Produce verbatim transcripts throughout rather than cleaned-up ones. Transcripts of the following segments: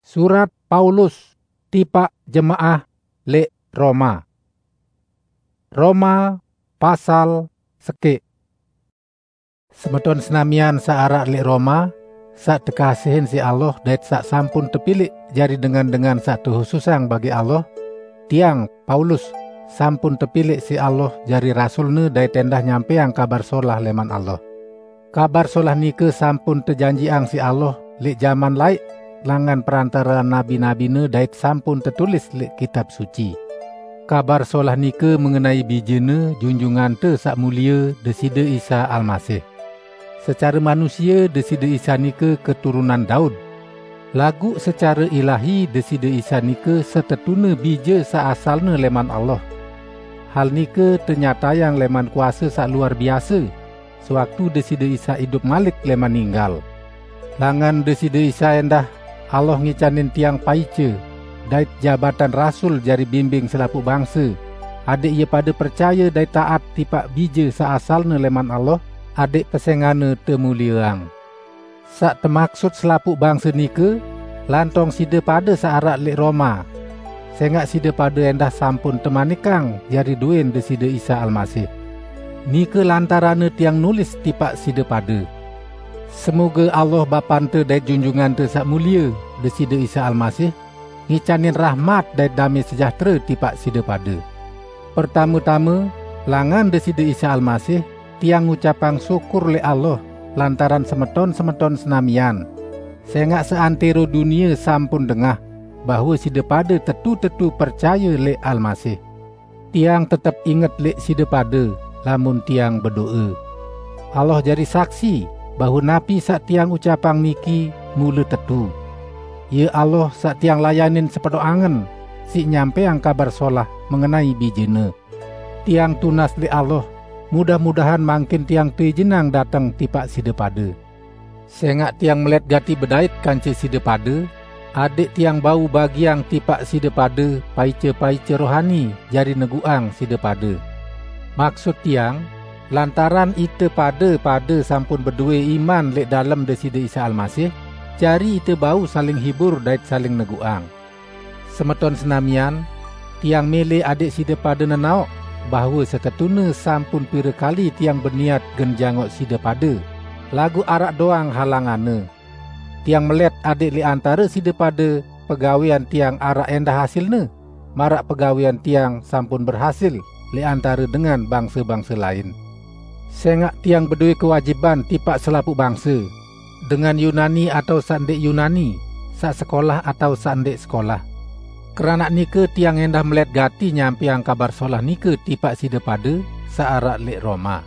Surat Paulus tipaq jemaah leq Roma. Roma pasal sekeq. Semeton senamian saq araq leq Roma, saq tekasihin siq Allah dait saq sampun tepilih jari dengan-dengan saq tehususang bagi Allah, tiang, Paulus, sampun tepilih siq Allah jari rasulne dait endah nyampeang Kabar Solah leman Allah. Kabar Solah nike sampun tejanjiqang siq Allah leq jaman laeq langan perantarean nabi-nabine dait sampun tetulis leq Kitab Suci. Kabar Solah nike mengenai Bijene, Junjungante Saq Mulie, Deside Isa Almasih. Secare manusie, Deside Isa nike keturunan Daud. Laguq secare ilahi, Deside Isa nike setetune Bije saq asalne leman Allah. Hal nike tenyatayang leman kuase saq luar biase, sewaktu Deside Isa idup malik leman ninggal. Langan Deside Isa endah, Allah ngicanin tiang paice dait jabatan rasul jari bimbing selapuq bangse, adẽq ie pade percaye dait taat tipaq Bije saq asalne leman Allah, adẽq pesengane temulieang. Saq temaksut selapuq bangse nike, lantong side pade saq araq leq Roma, sengaq side pade endah sampun temanikang jari duen Deside Isa Almasih. Nike lantaranne tiang nulis tipaq side pade. Semoge Allah Bapante dait Junjungante Saq Mulie, Deside Isa Almasih, ngicanin rahmat dait dame sejahtere tipaq side pade. Pertame-tame, langan Deside Isa Almasih, tiang ngucapang syukur leq Allah lantaran semeton-semeton senamian, sengaq seantero dunie sampun dengah bahwe side pade tetu-tetu percaye leq Almasih. Tiang tetep inget leq side pade, lamun tiang bedoe. Allah jari saksi bahwe napi saq tiang ucapang niki mule tetu. Ie Allah saq tiang layanin sepenoq angen, siq nyampeang Kabar Solah mengenai Bijene. Tiang tunas leq Allah, mudah-mudahan mangkin tiang teizinang dateng tipaq side pade. Sengaq tiang melet gati bedait kance side pade, adẽq tiang bau bagiang tipaq side pade paice-paice rohani jari neguqang side pade. Maksut tiang, lantaran ite pade-pade sampun bedoe iman leq dalem Deside Isa Almasih, jari ite bau saling hibur dait saling neguqang. Semeton senamian, tiang mele adẽq side pade nenaoq bahwe setetune sampun pire kali tiang beniat gen jangoq side pade, laguq araq doang halanganne. Tiang melet adẽq leq antare side pade pegawean tiang araq endah hasilne, maraq pegawean tiang sampun berhasil leq antare dengan bangse-bangse lain. Sengaq tiang bedoe kewajiban tipaq selapuq bangse, dengan Yunani atao saq ndẽq Yunani, saq sekolah atao saq ndẽq sekolah. Keranaq nike tiang endah melet gati nyampeang Kabar Solah nike tipaq side pade saq araq leq Roma.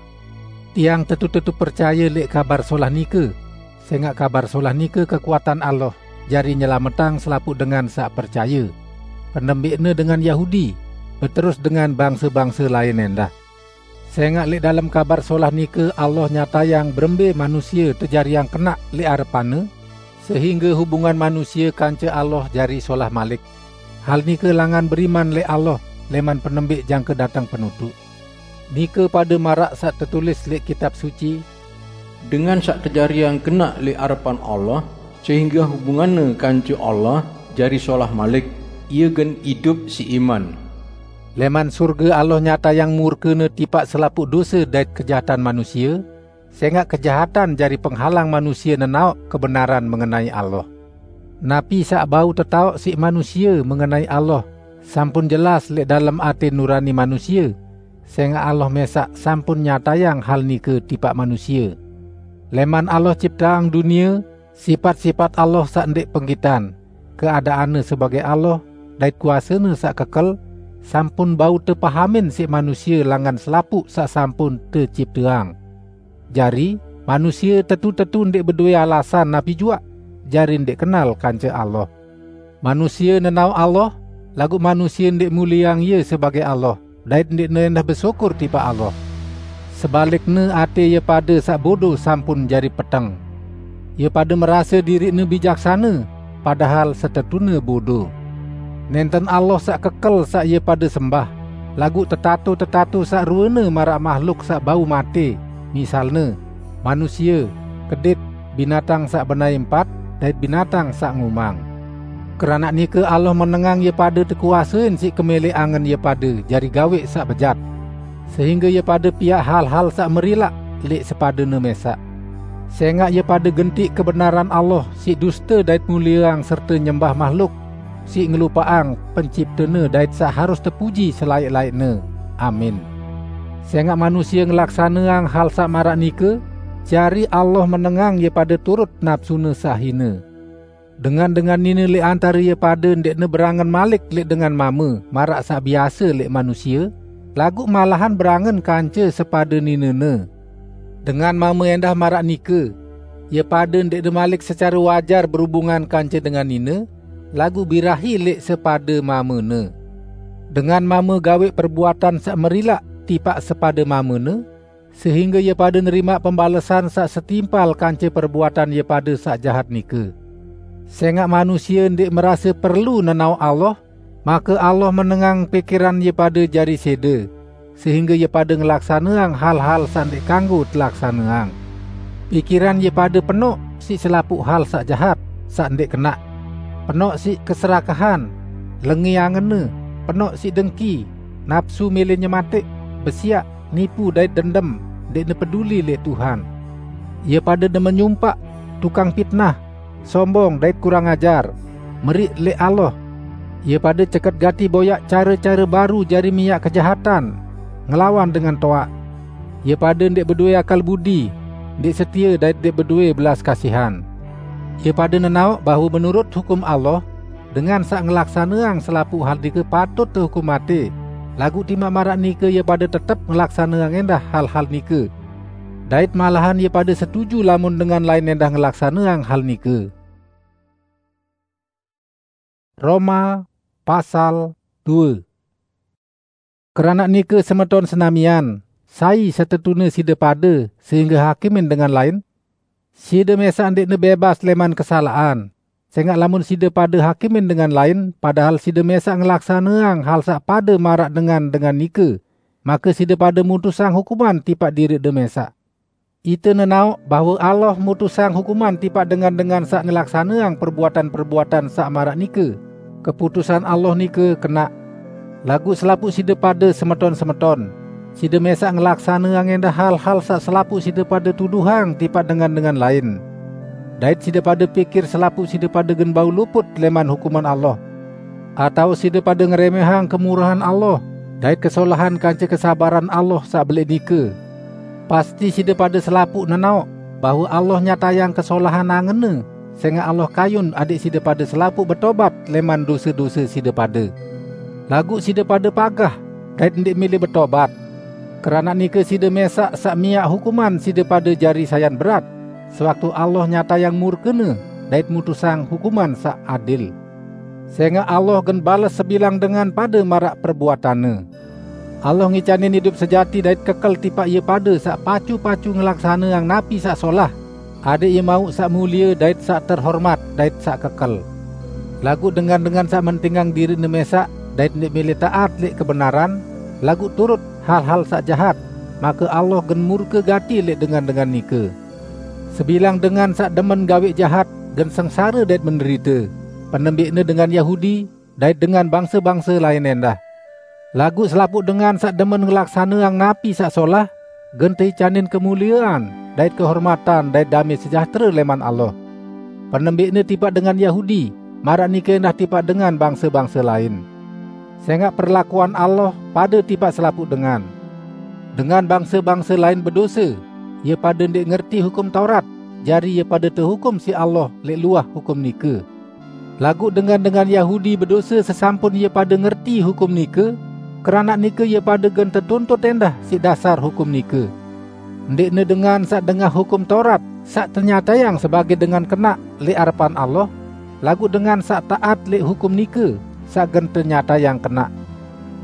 Tiang tetu-tetu percaye leq Kabar Solah nike, sengaq Kabar Solah nike kekuatan Allah jari nyelametang selapuq dengan saq percaye, penembeqne dengan Yahudi, beterus dengan bangse-bangse lain endah. Sengaq leq dalem Kabar Solah nike Allah nyatayang berembe manusie tejariang kenaq leq arepan-Ne, sehingge hubungan manusie kance Allah jari solah malik. Hal nike langan beriman leq Allah leman penembeq jangke dateng penutuq. Nike pade maraq saq tetulis leq Kitab Suci, "Dengan saq tejariang kenaq leq arepan Allah, sehingge hubunganne kance Allah jari solah malik, ie gen idup siq iman." Leman surge Allah nyatayang murke-Ne tipaq selapuq dose dait kejahatan manusie, sengaq kejahatan jari penghalang manusie nenaoq kebenaran mengenai Allah. Napi saq bau tetaoq siq manusie mengenai Allah, sampun jelas leq dalem ate nurani manusie, sengaq Allah mesaq sampun nyatayang hal nike tipaq manusie. Leman Allah cipteang dunie, sipat-sipat Allah saq ndẽq penggitan, keadaanne sebage Allah, dait kuasene saq kekel, sampun bau tepahamin siq manusie langan selapuq saq sampun tecipteang. Jari, manusie tetu-tetu ndẽq bedoe alasan napi juaq, jari ndẽq kenal kance Allah. Manusie nenaoq Allah, laguq manusie ndẽq mulieang Ie sebage Allah, dait ndẽqne endah besyukur tipaq Allah. Sebalikne, ate ie pade saq bodo sampun jari peteng. Ie pade merase diriqne bijaksane, padahal setetune bodo. Nenten Allah saq kekel saq ie pade sembah, laguq tetato-tetato saq ruene maraq mahluk saq bau mate, misalne, manusie, kedit, binatang saq benai empat, dait binatang saq ngumang. Keranak nike Allah menengang ie pade tekuasein siq kemeleq angen ie pade jari gaweq saq bejat, sehingge ie pade piaq hal-hal saq merilaq leq sepadene mesaq. Sengaq ie pade gentiq kebenaran Allah siq duste dait mulieang serte nyembah mahluk, siq ngelupaqang Penciptene dait saq harus tepuji selaeq-laeqne. Amin. Sengaq manusie ngelaksaneang hal saq maraq nike, jari Allah menengang ie pade turut napsune saq hine. Dengan-dengan nine leq antare ie pade ndeqne berangen malik leq dengan mame maraq saq biase leq manusie, laguq malahan berangen kance sepade ninene. Dengan mame endah maraq nike, ie pade ndeqne malik secare wajar berubungan kance dengan nine, laguq birahi leq sepade mamene. Dengan mame gaweq perbuatan saq merilaq tipaq sepade mamene, sehingge ie pade nerimaq pembalesan saq setimpal kance perbuatan ie pade saq jahat nike. Sengaq manusie ndeq merase perlu nenaoq Allah, make Allah menengang pikiran ie pade jari sede, sehingge ie pade ngelaksaneang hal-hal saq ndeq kanggo telaksaneang. Pikiran ie pade penoq siq selapuq hal saq jahat, saq ndeq kenaq, penoq siq keserakahan, lenge angenne, penoq siq dengki, napsu mele nyemateq, besiaq, nipu dait dendem, ndeqne peduli leq Tuhan. Ie pade demen nyumpaq, tukang pitnah, sombong dait kurang ajar, meriq leq Allah. Ie pade ceket gati boyaq care-care baru jari miaq kejahatan, ngelawan dengan toaq. Ie pade ndeq bedoe akal budi, ndeq setie dait ndeq bedoe belas kasihan. Ie pade nenaoq bahwe menurut hukum Allah, dengan saq ngelaksaneang selapuq hal nike patut tehukum mate, laguq timaq maraq nike ie pade tetep ngelaksaneang endah hal-hal nike. Dait malahan ie pade setuju lamun dengan lain endah ngelaksaneang hal nike. Roma pasal due. Keranaq nike, semeton senamian, sai setetune side pade sehingge hakimin dengan lain? Side mesaq ndeqne bebas leman kesalaqan, sengaq lamun side pade hakimin dengan lain, padahal side mesaq ngelaksaneang hal saq pade maraq dengan-dengan nike, make side pade mutusang hukuman tipaq diriqde mesaq. Ite nenaoq bahwe Allah mutusang hukuman tipaq dengan-dengan saq ngelaksaneang perbuatan-perbuatan saq maraq nike. Keputusan Allah nike kenaq. Laguq selapuq side pade, semeton-semeton, side mesaq ngelaksaneang endah hal-hal saq selapuq side pade tuduhang tipaq dengan-dengan lain. Dait side pade pikir selapuq side pade gen bau luput leman hukuman Allah. Atao side pade ngeremehang kemurahan Allah dait kesolahan kance kesabaran Allah saq beleq nike? Pasti side pade selapuq nenaoq bahwe Allah nyatayang kesolahan angenne, sengaq Allah kayun adẽq side pade selapuq betobat leman dose-dose side pade. Laguq side pade pagah dait ndeq mele betobat. Keranaq nike side mesaq saq miaq hukuman side pade jari sayan berat, sewaktu Allah nyatayang murkene dait mutusang hukuman saq adil. Sengaq Allah gen bales sebilang dengan pade maraq perbuatanne. Allah ngicanin idup sejati dait kekel tipaq ie pade saq pacu-pacu ngelaksaneang napi saq solah, adẽq ie mauq saq mulie dait saq terhormat dait saq kekel. Laguq dengan-dengan saq mentingang diriqne mesaq dait ndeq mele taat leq kebenaran, laguq turut hal-hal saq jahat, make Allah gen murke gati leq dengan-dengan nike. Sebilang dengan saq demen gaweq jahat gen sengsare dait menderite, penembiqne dengan Yahudi dait dengan bangse-bangse lain endah. Laguq selapuq dengan saq demen ngelaksaneang napi saq solah, gen teicanin kemuliean dait kehormatan dait dame sejahtere leman Allah. Penembiqne tipaq dengan Yahudi, maraq nike endah tipaq dengan bangse-bangse lain. Sengaq perlakuan Allah pade tipaq selapuq dengan. Dengan bangse-bangse lain bedose, ie pade ndeq ngerti hukum Taurat, jari ie pade tehukum siq Allah leq luah hukum nike. Laguq dengan-dengan Yahudi bedose sesampun ie pade ngerti hukum nike, keranaq nike ie pade gen tetuntut endah siq dasar hukum nike. Ndeqne dengan saq dengah hukum Taurat saq tenyatayang sebagẽ dengan kenaq leq arepan Allah, laguq dengan saq taat leq hukum nike saq gen tenyatayang kenaq.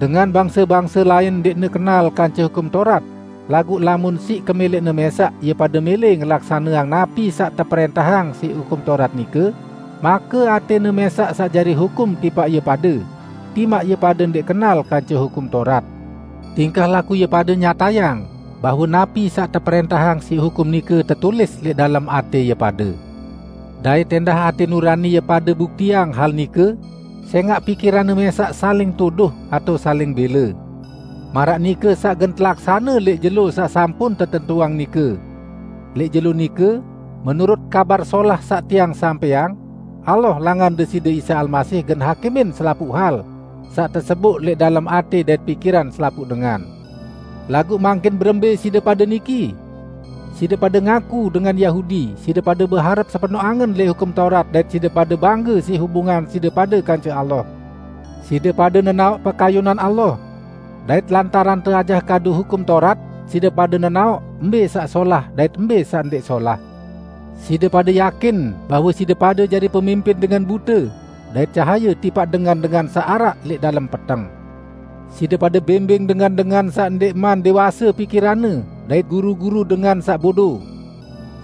Dengan bangse-bangse lain ndeqne kenal kance hukum Taurat, laguq lamun siq kemeleqne mesaq ie pade mele ngelaksaneang napi saq teprẽntahang siq hukum Taurat nike, make atẽne mesaq saq jari hukum tipaq ie pade, timaq ie pade ndeq kenal kance hukum Taurat. Tingkah laku ie pade nyatayang bahwe napi saq teprẽntahang siq hukum nike tetulis leq dalem atẽ ie pade. Dait endah até nurani ie pade buktiang hal nike, sengaq pikiranne mesaq saling tuduh atao saling bela. Maraq nike saq gen telaksane leq jelo saq sampun tetentuang nike. Leq jelo nike, menurut Kabar Solah saq tiang sampaiang, Allah langan Deside Isa Almasih gen hakimin selapuq hal saq teseboq leq dalem até dait pikiran selapuq dengan. Laguq mangkin berembe side pade niki? Side pade ngaku dengan Yahudi, side pade beharep sepenoq angen leq Hukum Taurat dait side pade bangge siq hubungan side pade kance Allah. Side pade nenaoq pekayunan Allah, dait lantaran teajah kadu Hukum Taurat, side pade nenaoq mbe saq solah dait mbe saq ndeq solah. Side pade yakin bahwe side pade jari pemimpin dengan bute, dait cahaye tipaq dengan-dengan saq araq leq dalem peteng. Side pade bimbing dengan-dengan saq ndeqman dewase pikiranne, dait guru-guru dengan saq bodo.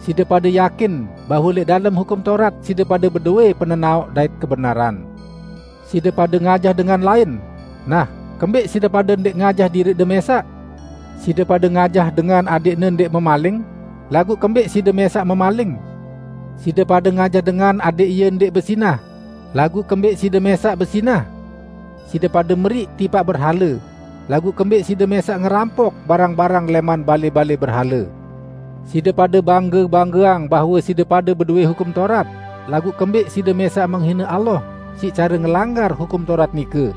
Side pade yakin bahwe leq dalem Hukum Taurat side pade bedowe penenaoq dait kebenaran. Side pade ngajah dengan lain. Nah, kembeq side pade ndeq ngajah diriqde mesaq? Side pade ngajah dengan adeqne ndeq memaling, laguq kembeq side mesaq memaling? Side pade ngajah dengan adeq ie ndeq besinah, laguq kembeq side mesaq besinah? Side pade meriq tipaq berhale, laguq kembeq side mesaq ngerampok barang-barang leman bale-bale berhale? Side pade bangge-banggeang bahwe side pade bedowe Hukum Taurat, laguq kembeq side mesaq menghine Allah siq care ngelanggar Hukum Taurat nike?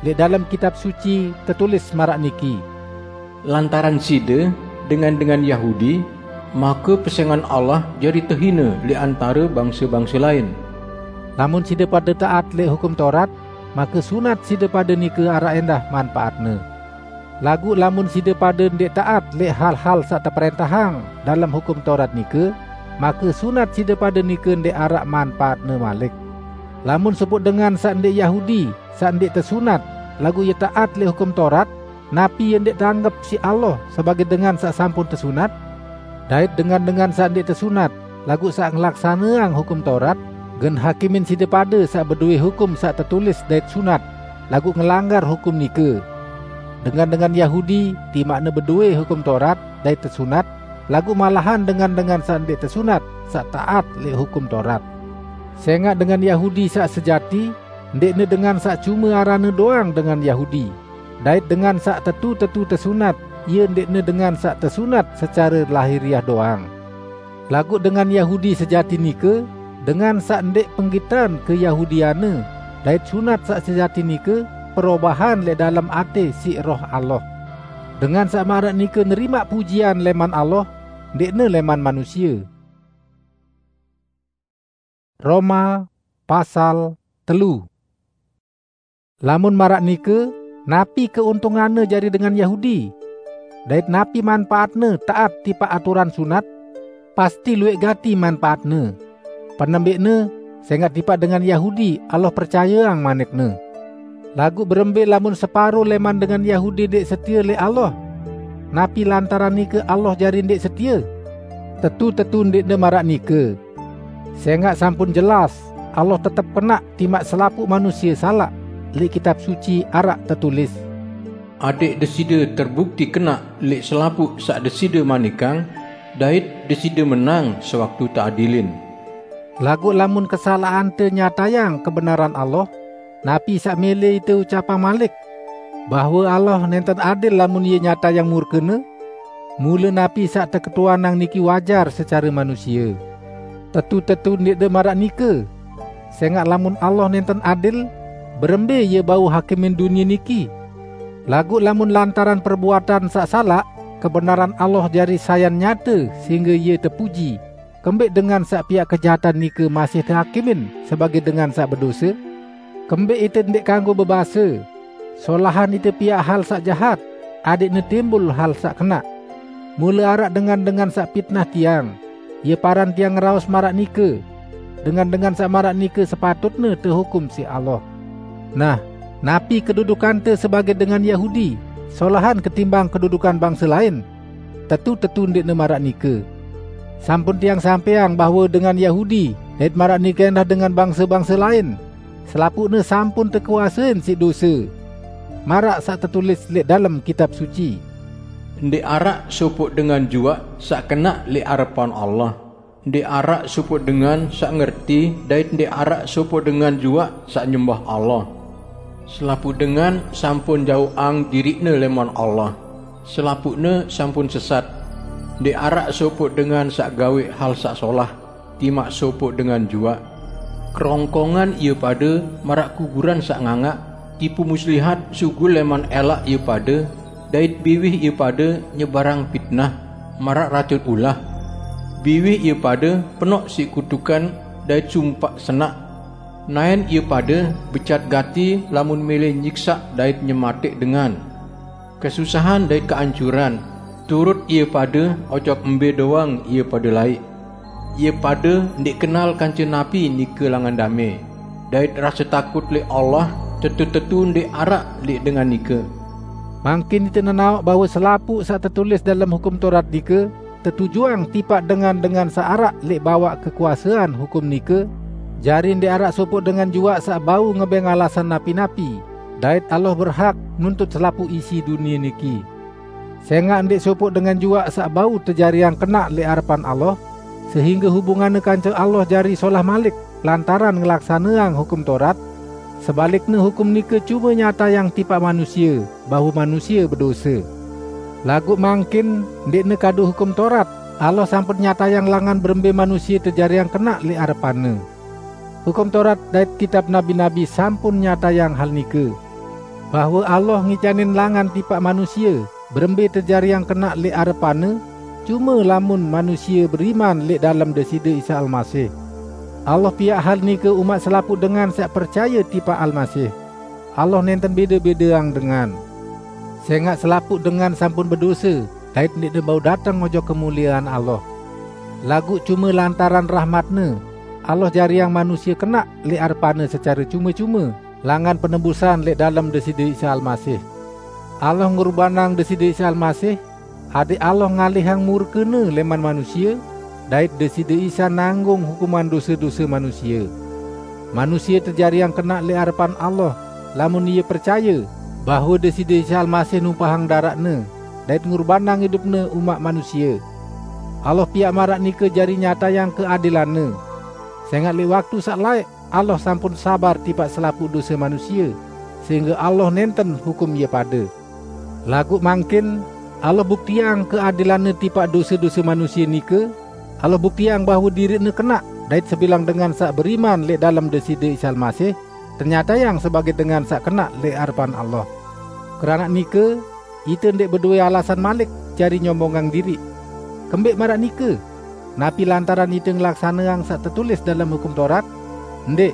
Leq dalem Kitab Suci tetulis maraq niki, "Lantaran side, dengan-dengan Yahudi, make pesengan Allah jari tehine leq antare bangse-bangse lain." Lamun side pade taat leq Hukum Taurat, make sunat side pade nike araq endah manpaatne. Laguq lamun side pade ndeq taat leq hal-hal saq teprentahang dalem Hukum Taurat nike, make sunat side pade nike ndeq araq manpaatne malik. Lamun sopoq dengan saq ndeq Yahudi, saq ndeq tesunat, laguq ie taat leq Hukum Taurat, napi ie ndeq teanggep siq Allah sebagei dengan saq sampun tesunat? Dait dengan-dengan saq ndeq tesunat, laguq saq ngelaksaneang Hukum Taurat, gen hakimin side pade saq bedowe hukum saq tetulis dait sunat, laguq ngelanggar hukum nike. Dengan-dengan Yahudi, timaqne bedowe Hukum Taurat dait tesunat, laguq malahan dengan-dengan saq ndeq tesunat, saq taat leq Hukum Taurat. Sengaq dengan Yahudi saq sejati, ndeqne dengan saq cume aranne doang dengan Yahudi, dait dengan saq tetu-tetu tesunat, ie ndeqne dengan saq tesunat secare lahiriah doang. Laguq dengan Yahudi sejati nike, dengan saq ndeq penggitan keyahudianne, dait sunat saq sejati nike perobahan leq dalem até siq Roh Allah. Dengan saq maraq nike nerimaq pujian leman Allah, ndeqne leman manusie. Roma pasal telu. Lamun maraq nike, napi keuntunganne jari dengan Yahudi? Dait napi manpaatne taat tipaq aturan sunat? Pasti luwẽq gati manpaatne. Penembẽqne, sengaq tipaq dengan Yahudi Allah percayeang manikne. Laguq berembe lamun separo leman dengan Yahudi ndeq setie leq Allah? Napi lantaran nike Allah jari ndeq setie? Tetu-tetu ndeqne maraq nike. Sengaq sampun jelas, Allah tetep kenaq timaq selapuq manusie salaq. Leq Kitab Suci araq tetulis, "Adeq Deside terbukti kenaq leq selapuq saq Deside manikang, dait Deside menang sewaktu teadilin." Laguq lamun kesalaqante nyatayang kebenaran Allah, napi saq mele ite ucapang malik? Bahwe Allah nenten adil lamun Ie nyatayang murkene? Mule napi saq teketuanang niki wajar secare manusie. Tetu-tetu ndeqde maraq nike. Sengaq lamun Allah nenten adil, berembe Ie bau hakimin dunie niki? Laguq lamun lantaran perbuatan saq salaq, kebenaran Allah jari sayan nyate sehingge Ie tepuji, kembeq dengan saq piaq kejahatan nike masih tehakimin sebagei dengan saq bedose? Kembeq ite ndeq kanggo bebase, "Solahan ite piaq hal saq jahat, adeqne timbul hal saq kenaq." Mule araq dengan-dengan saq pitnah tiang, ie paran tiang ngeraos maraq nike, dengan-dengan saq maraq nike sepatutne tehukum siq Allah. Nah, napi kedudukante sebagei dengan Yahudi, solahan ketimbang kedudukan bangse lain? Tetu-tetu ndeqne maraq nike. Sampun tiang sampaiang bahwe dengan Yahudi, dait maraq nike endah dengan bangse-bangse lain, selapuqne sampun tekuasein siq dose. Maraq saq tetulis leq dalem Kitab Suci, "Ndeq araq sopoq dengan juaq saq kenaq leq arepan Allah." Ndeq araq sopoq dengan saq ngerti, dait ndeq araq sopoq dengan juaq saq nyembah Allah. Selapuq dengan sampun jauqang diriqne leman Allah. Selapuqne sampun sesat. Ndeq araq sopoq dengan saq gaweq hal saq solah, timaq sopoq dengan juaq. Kerongkongan ie pade maraq kuburan saq ngangaq, tipu muslihat sugul leman elaq ie pade, dait biwih ie pade nyebarang pitnah maraq racun ulah. Biwih ie pade penoq siq kutukan dait sumpaq senaq. Naen ie pade becat gati lamun mele nyiksaq dait nyemateq dengan. Kesusahan dait keancuran turut ie pade ojok mbe doang ie pade laiq. Ie pade ndeq kenal kance napi nike langan dame, dait rase takut leq Allah tetu-tetu ndeq araq leq dengan nike. Mangkin ite nenaoq bahwe selapuq saq tetulis dalem Hukum Taurat nike tetujuang tipaq dengan-dengan saq araq leq bawaq kekuasean hukum nike, jari ndeq araq sopoq dengan juaq saq bau ngebeng alasan napi-napi, dait Allah berhak nuntut selapuq isi dunie niki. Sengaq ndeq sopoq dengan juaq saq bau tejariang kenaq leq arepan Allah, sehingge hubunganne kance Allah jari solah malik lantaran ngelaksaneang Hukum Taurat. Sebalikne, hukum nike cume nyatayang tipaq manusie bahwe manusie bedose. Laguq mangkin ndeqne kadu Hukum Taurat, Allah sampun nyatayang langan berembe manusie tejariang kenaq leq arepan-Ne. Hukum Taurat dait kitab nabi-nabi sampun nyatayang hal nike, bahwe Allah ngicanin langan tipaq manusie berembe tejariang kenaq leq arepan-Ne, cume lamun manusie beriman leq dalem Deside Isa Almasih. Allah piaq hal nike umaq selapuq dengan saq percaye tipaq Almasih. Allah nenten bede-bedeang dengan. Sengaq selapuq dengan sampun bedose dait ndeqne bau dateng ojok kemuliean Allah. Laguq cume lantaran rahmat-Ne, Allah jariang manusie kenaq leq arepan-Ne secare cume-cume, langan penebusan leq dalem Deside Isa Almasih. Allah ngurbanang Deside Isa Almasih, adeq Allah ngalihang murke-Ne leman manusie, dait Deside Isa nanggung hukuman dose-dose manusie. Manusie tejariang kenaq leq arepan Allah, lamun ie percaye bahwe Deside Isa Almasih numpahang daraq-Ne dait ngurbanang idup-Ne umaq manusie. Allah piaq maraq nike jari nyatayang keadilan-Ne. Sengaq leq waktu saq laeq Allah sampun sabar tipaq selapuq dose manusie, sehingge Allah nenten hukum ie pade. Laguq mangkin Allah buktiang keadilan-Ne tipaq dose-dose manusie nike, Allah buktiang bahwe diriq-Ne kenaq, dait sebilang dengan saq beriman leq dalem Deside Isa Almasih, tenyatayang sebage dengan saq kenaq leq arepan Allah. Keranaq nike, ite ndeq bedowe alasan malik jari nyombongang diriq. Kembeq maraq nike? Napi lantaran ite ngelaksaneang saq tetulis dalem Hukum Taurat? Ndeq,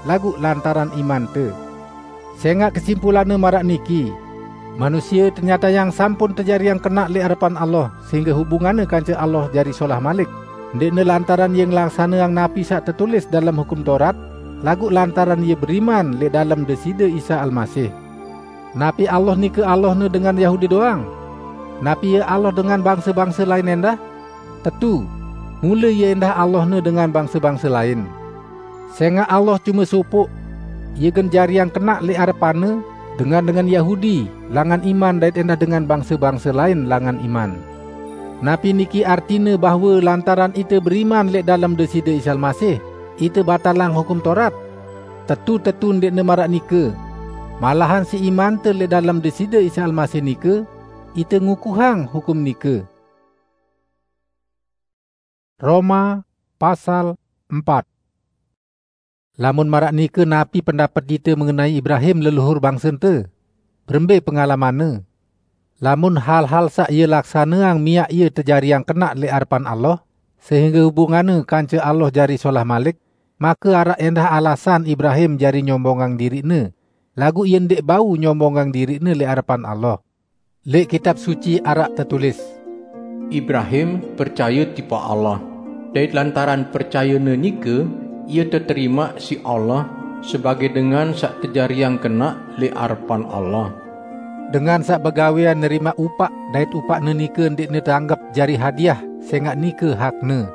laguq lantaran imante. Sengaq kesimpulanne maraq niki, manusie tenyatayang sampun tejariang kenaq leq arepan Allah, sehingge hubunganne kance Allah jari solah malik, ndeqne lantaran ie ngelaksaneang napi saq tetulis dalem Hukum Taurat, laguq lantaran ie beriman leq dalem Deside Isa Almasih. Napi Allah nike Allahne dengan Yahudi doang? Napi Ie Allah dengan bangse-bangse lain endah? Tetu, mule Ie endah Allahne dengan bangse-bangse lain. Sengaq Allah cume sopoq, Ie gen jariang kenaq leq arepan-Ne dengan-dengan Yahudi langan iman dait endah dengan bangse-bangse lain langan iman. Napi niki artine bahwe lantaran ite beriman leq dalem Deside Isa Almasih, ite batalang Hukum Taurat? Tetu-tetu ndeqne maraq nike. Malahan siq imante leq dalem Deside Isa Almasih nike, ite ngukuhang hukum nike. Roma pasal empat. Lamun maraq nike, napi pendapet ite mengenai Ibrahim, leluhur bangsente? Berembe pengalamanne? Lamun hal-hal saq ie laksaneang miaq ie tejariang kenaq leq arepan Allah, sehingge hubunganne kance Allah jari solah malik, make araq endah alasan Ibrahim jari nyombongang diriqne, laguq ie ndeq bau nyombongang diriqne leq arepan Allah. Leq Kitab Suci araq tetulis, "Ibrahim percaye tipaq Allah, dait lantaran percayene nike, ie teterimaq siq Allah sebage dengan saq tejariang kenaq leq arepan Allah." Dengan saq begawean nerimaq upaq, dait upaqne nike ndeqne teanggep jari hadiah, sengaq nike hakne.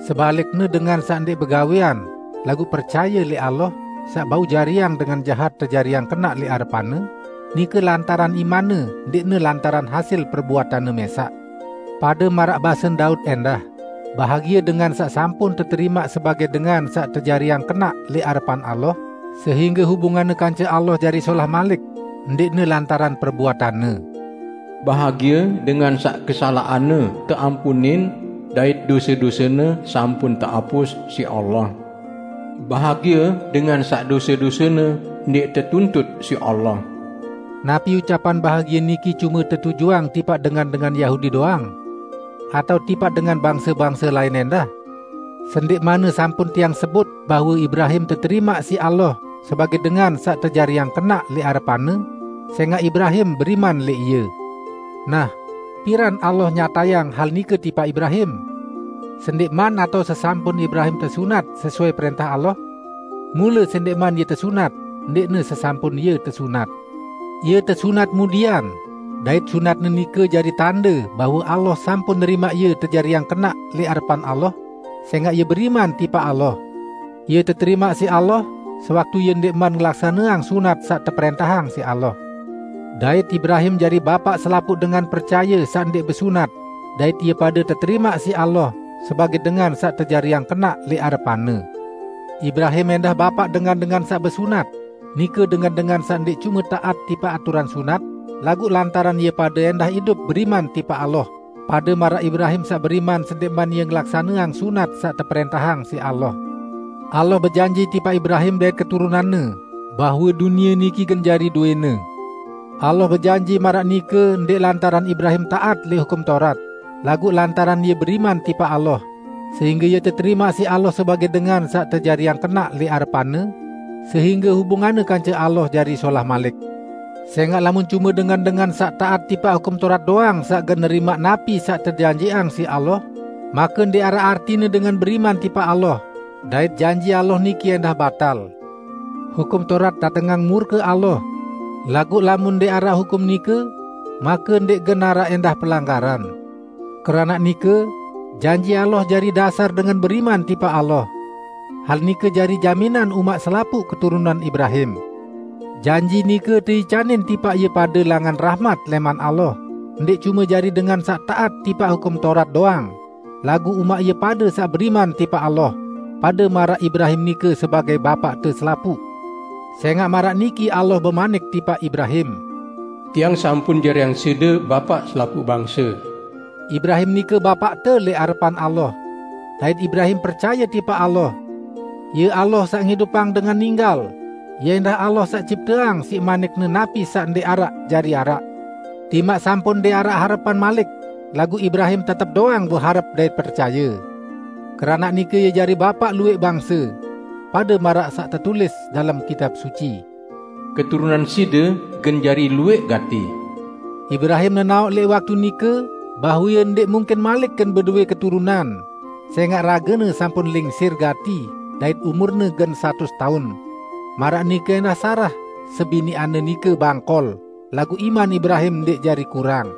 Sebalikne, dengan saq ndeq begawean, laguq percaye leq Allah, saq bau jariang dengan jahat tejariang kenaq leq arepan-Ne, nike lantaran imanne, ndeqne lantaran hasil perbuatanne mesaq. Pade maraq basen Daud endah, Bahagia dengan saq sampun teterimaq sebagaq dengan saq tejariang kenaq leq arepan Allah, sehingge hubunganne kance Allah jari solah malik, ndeqne lantaran perbuatanne. Bahagia dengan saq kesalaqanne teampunin dait dose-dosene sampun teapus siq Allah. Bahagia dengan saq dose-dosene ndeq tetuntut siq Allah. Napi ucapan bahagia niki cume tetujuang tipaq dengan-dengan Yahudi doang, atao tipaq dengan bangse-bangse lain endah? Sendeqmanne sampun tiang sebut bahwe Ibrahim teterimaq siq Allah sebagaq dengan saq tejariang kenaq leq arepanne, sengaq Ibrahim beriman leq Ie. Nah, piran Allah nyatayang hal nike tipaq Ibrahim? Sendeqman atao sesampun Ibrahim tesunat sesuai prentah Allah? Mule sendeqman ie tesunat, ndeqne sesampun ie tesunat. Ie tesunat mudian, dait sunatne nike jari tande bahwe Allah sampun nerimaq ie tejariang kenaq leq arepan Allah, sengaq ie beriman tipaq Allah. Ie teterimaq siq Allah, sewaktu ie ndeqman ngelaksaneang sunat saq teprentahang siq Allah. Dait Ibrahim jari bapaq selapuq dengan percaye saq ndeq besunat, dait ie pade teterimaq siq Allah sebagaq dengan saq tejariang kenaq leq arepan-Ne. Ibrahim endah bapaq dengan-dengan saq besunat, nike dengan-dengan saq ndeq cume taat tipaq aturan sunat, laguq lantaran ie pade endah idup beriman tipaq Allah, pade maraq Ibrahim saq beriman sendeqman ie ngelaksaneang sunat saq teprentahang siq Allah. Allah bejanji tipaq Ibrahim dait keturunanne, bahwe dunie niki gen jari dowene. Allah bejanji maraq nike ndeq lantaran Ibrahim taat leq Hukum Taurat, laguq lantaran ie beriman tipaq Allah, sehingge ie teterimaq siq Allah sebagaq dengan saq tejariang kenaq leq arepan-Ne, sehingge hubunganne kance Allah jari solah malik. Sengaq lamun cume dengan-dengan saq taat tipaq Hukum Taurat doang saq gen nerimaq napi saq tejanjiqang siq Allah, make ndeq araq artine dengan beriman tipaq Allah, dait janji Allah niki endah batal. Hukum Taurat datengang murke Allah, laguq lamun ndeq araq hukum nike, make ndeq gen araq endah pelanggaran. Keranaq nike, janji Allah jari dasar dengan beriman tipaq Allah. Hal nike jari jaminan umaq selapuq keturunan Ibrahim. Janji nike teicanin tipaq ie pade langan rahmat leman Allah, ndeq cume jari dengan saq taat tipaq Hukum Taurat doang, laguq umaq ie pade saq beriman tipaq Allah, pade maraq Ibrahim nike sebagaq bapaqte selapuq. Sengaq maraq niki Allah bemanik tipaq Ibrahim, "Tiang sampun jariang side bapaq selapuq bangse." Ibrahim nike bapaqte leq arepan Allah, dait Ibrahim percaye tipaq Allah. Ie Allah saq ngidupang dengan ninggal, ie endah Allah saq cipteang siq manik-Ne napi saq ndeq araq jari araq. Timaq sampun ndeq araq harepan malik, laguq Ibrahim tetep doang beharep dait percaye. Keranaq nike ie jari bapaq lueq bangse, pade maraq saq tetulis dalem Kitab Suci, "Keturunan side gen jari lueq gati." Ibrahim nenaoq leq waktu nike bahwe ie ndeq mungkin malik gen bedowe keturunan, sengaq ragene sampun lingsir gati dait umurne gen satus taun. Maraq nike endah Sarah, sebiniqanne nike bangkol, laguq iman Ibrahim ndeq jari kurang.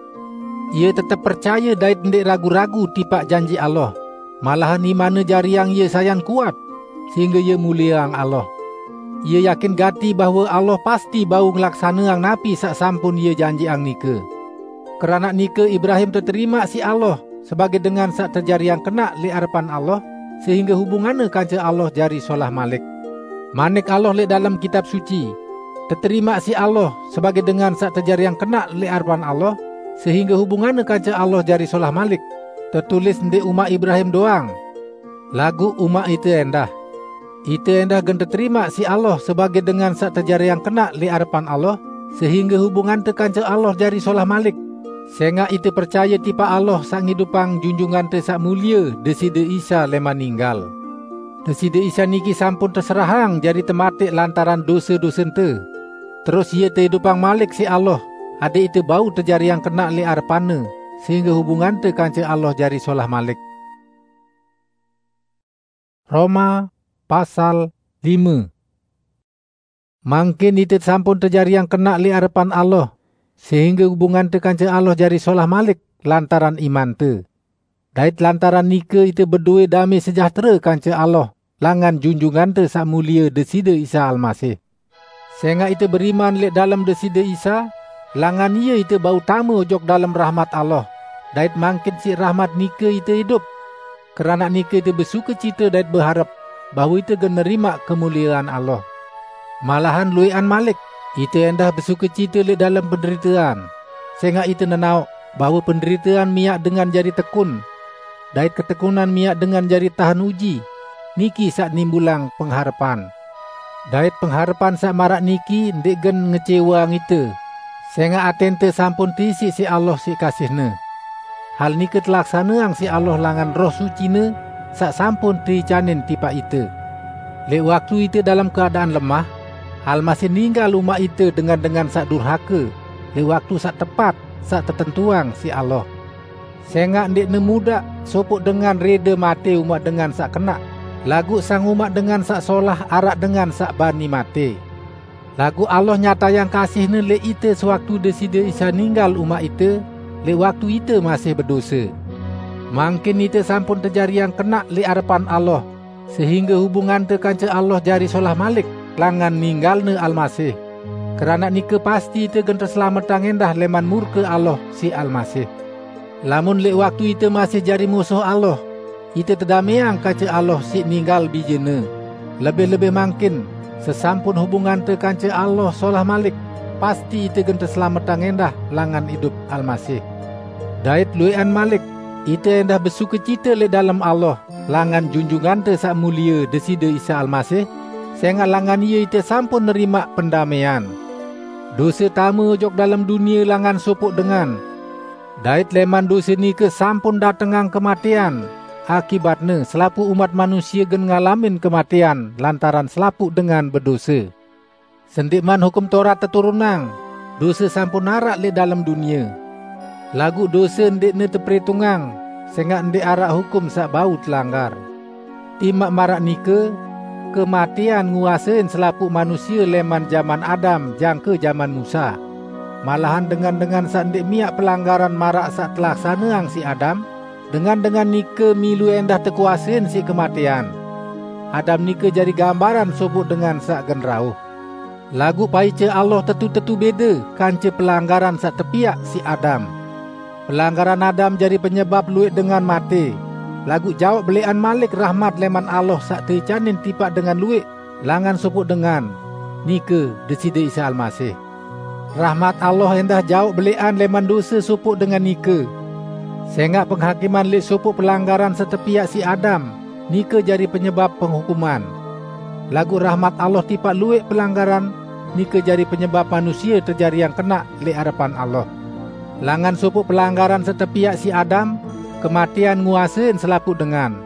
Ie tetep percaye dait ndeq ragu-ragu tipaq janji Allah. Malahan imanne jariang ie sayan kuat, sehingge ie mulieang Allah. Ie yakin gati bahwe Allah pasti bau ngelaksaneang napi saq sampun Ie janjiqang nike. Keranaq nike Ibrahim teterimaq siq Allah sebagaq dengan saq tejariang kenaq leq arepan Allah, sehingge hubunganne kance Allah jari solah malik. Manik Allah leq dalem Kitab Suci, "Teterimaq siq Allah sebagaq dengan saq tejariang kenaq leq arepan Allah, sehingge hubunganne kance Allah jari solah malik," tetulis ndeq umaq Ibrahim doang, laguq umaq ite endah. Ite endah gen teterimaq siq Allah sebagaq dengan saq tejariang kenaq leq arepan Allah, sehingge hubungante kance Allah jari solah malik, sengaq ite percaye tipaq Allah saq ngidupang Junjungante Saq Mulie Deside Isa leman ninggal. Deside Isa niki sampun teserahang jari temateq lantaran dose-dosente. Terus Ie teidupang malik siq Allah, adaq ite bau tejariang kenaq leq arepan-Ne, sehingge hubungante kance Allah jari solah malik. Roma pasal lime. Mangkin ite sampun tejariang kenaq leq arepan Allah, sehingge hubungante kance Allah jari solah malik lantaran imante. Dait lantaran nike ite bedowe dame sejahtere kance Allah langan Junjungante Saq Mulie Deside Isa Almasih. Sengaq ite beriman leq dalem Deside Isa, langan Ie ite bau tame ojok dalem rahmat Allah, dait mangkin siq rahmat nike ite idup. Keranak nike ite besukecite dait beharep bahwe ite gen nerimaq kemuliean Allah. Malahan lueqan malik, ite endah besukecite leq dalem penderitean, sengaq ite nenaoq bahwe penderitean miaq dengan jari tekun, dait ketekunan miaq dengan jari tahen uji, niki saq nimbulang pengharepan. Dait pengharepan saq maraq niki ndeq gen ngeceweang ite, sengaq atente sampun teisiq siq Allah siq kasih-Ne. Hal nike telaksaneang siq Allah langan Roh Suci-Ne saq sampun teicanin tipaq ite. Leq waktu ite dalem keadaan lemah, Almasih ninggal umaq ite dengan-dengan saq durhake leq waktu saq tepat saq tetentuang siq Allah. Sengaq ndeqne mudaq sopoq dengan rede mate umaq dengan saq kenaq, laguq sang umaq dengan saq solah araq dengan saq bani mate. Laguq Allah nyatayang kasih-Ne leq ite sewaktu Deside Isa ninggal umaq ite, leq waktu ite masih bedose. Mangkin ite sampun tejariang kenaq leq arepan Allah, sehingge hubungante kance Allah jari solah malik langan ninggalne Almasih. Keranaq nike pasti ite gen teselametiang endah leman murke Allah siq Almasih. Lamun leq waktu ite masih jari musuh Allah, ite tedameang kance Allah siq ninggal Bije-Ne, lebih-lebih mangkin, sesampun hubungante kance Allah solah malik, pasti ite gen teselametiang endah langan idup Almasih. Dait lueqan malik, ite endah besukecite leq dalem Allah, langan Junjungante Saq Mulie Deside Isa Almasih, sengaq langan Ie ite sampun nerimaq pendamean. Dose tame ojok dalem dunie langan sopoq dengan, dait leman dose nike sampun datengang kematean. Akibatne, selapuq umat manusie gen ngalamin kematean lantaran selapuq dengan bedose. Sendeqman Hukum Taurat teturunang, dose sampun araq leq dalem dunie. Laguq dose ndeqne teperitungang, sengaq ndeq araq hukum saq bau telanggar. Timaq maraq nike, kematean nguasein selapuq manusie leman jaman Adam jangke jaman Musa. Malahan dengan-dengan saq ndeq miaq pelanggaran maraq saq telaksaneang siq Adam, dengan-dengan nike milu endah tekuasein siq kematean. Adam nike jari gambaran sopoq dengan saq gen rauh. Laguq paice Allah tetu-tetu bede kance pelanggaran saq tepiaq siq Adam. Pelanggaran Adam jari penyebap lueq dengan mate, laguq jaoq beleqan malik rahmat leman Allah saq teicanin tipaq dengan lueq langan sopoq dengan, nike Deside Isa Almasih. Rahmat Allah endah jaoq beleqan leman dose sopoq dengan nike. Sengaq penghakiman leq sopoq pelanggaran saq tepiaq siq Adam, nike jari penyebap penghukuman. Laguq rahmat Allah tipaq lueq pelanggaran, nike jari penyebap manusie tejariang kenaq leq arepan Allah. Langan sopoq pelanggaran saq tepiaq siq Adam, kematean nguasein selapuq dengan.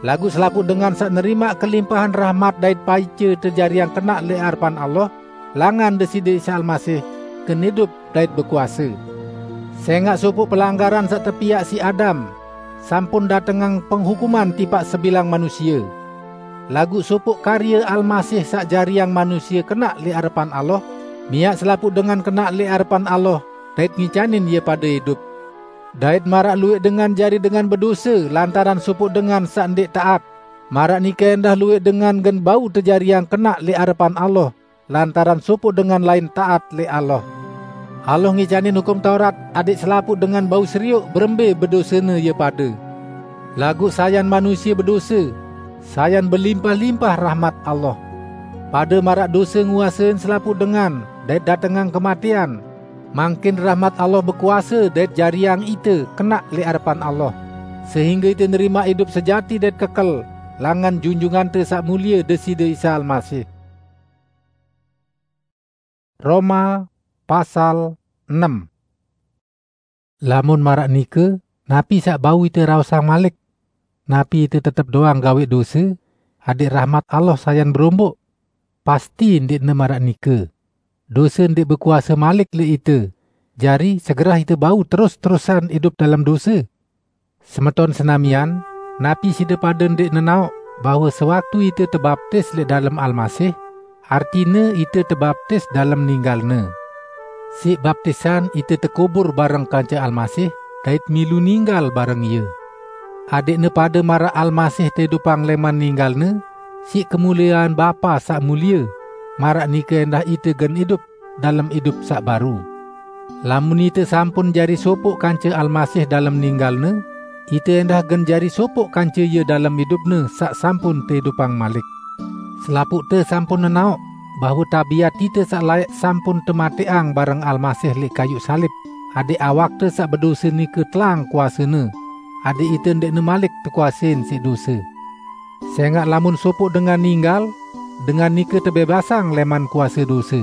Laguq selapuq dengan saq nerimaq kelimpahan rahmat dait paice tejariang kenaq leq arepan Allah, langan Deside Isa Almasih, gen idup dait bekuase. Sengaq sopoq pelanggaran saq tepiaq siq Adam, sampun datengang penghukuman tipaq sebilang manusie. Laguq sopoq karye Almasih saq jariang manusie kenaq leq arepan Allah, miaq selapuq dengan kenaq leq arepan Allah, dait ngicanin ie pade idup. Dait maraq lueq dengan jari dengan bedose lantaran sopoq dengan saq ndeq taat, maraq nike endah lueq dengan gen bau tejariang kenaq leq arepan Allah, lantaran sopoq dengan lain taat leq Allah. Allah ngicanin Hukum Taurat adẽq selapuq dengan bau serioq berembe bedosene ie pade. Laguq sayan manusie bedose, sayan belimpah-limpah rahmat Allah. Pade maraq dose nguasein selapuq dengan dait datengang kematean, mangkin rahmat Allah bekuase dait jariang ite kenaq leq arepan Allah, sehingge ite nerimaq idup sejati dait kekel langan Junjungante Saq Mulie Deside Isa Almasih. Roma pasal enem. Lamun maraq nike, napi saq bau ite raosang malik? Napi ite tetep doang gaweq dose, adẽq rahmat Allah sayan beromboq? Pasti ndeqne maraq nike. Dose ndeq bekuase malik leq ite, jari segerah ite bau terus-terusan idup dalem dose? Semeton senamian, napi side pade ndeq nenaoq bahwe sewaktu ite tebaptis leq dalem Almasih, artine ite tebaptis dalem ninggal-Ne? Siq baptisan ite tekubur bareng kance Almasih dait milu ninggal bareng Ie, adẽqne pade maraq Almasih teidupang leman ninggal-Ne siq kemuliean Bapa saq mulie, maraq nike endah ite gen idup dalem idup saq baru. Lamun ite sampun jari sopoq kance Almasih dalem ninggal-Ne, ite endah gen jari sopoq kance Ie dalem idupne saq sampun teidupang malik. Selapuqte sampun nenaoq bahwe tabiat ite saq laeq sampun temateqang bareng Almasih leq kayuq salib, adẽq awakte saq bedose nike tlaang kuasene, adẽq ite ndeqne malik tekuasein siq dose. Sengaq lamun sopoq dengan ninggal, dengan nike tebebasang lẽman kuase dose.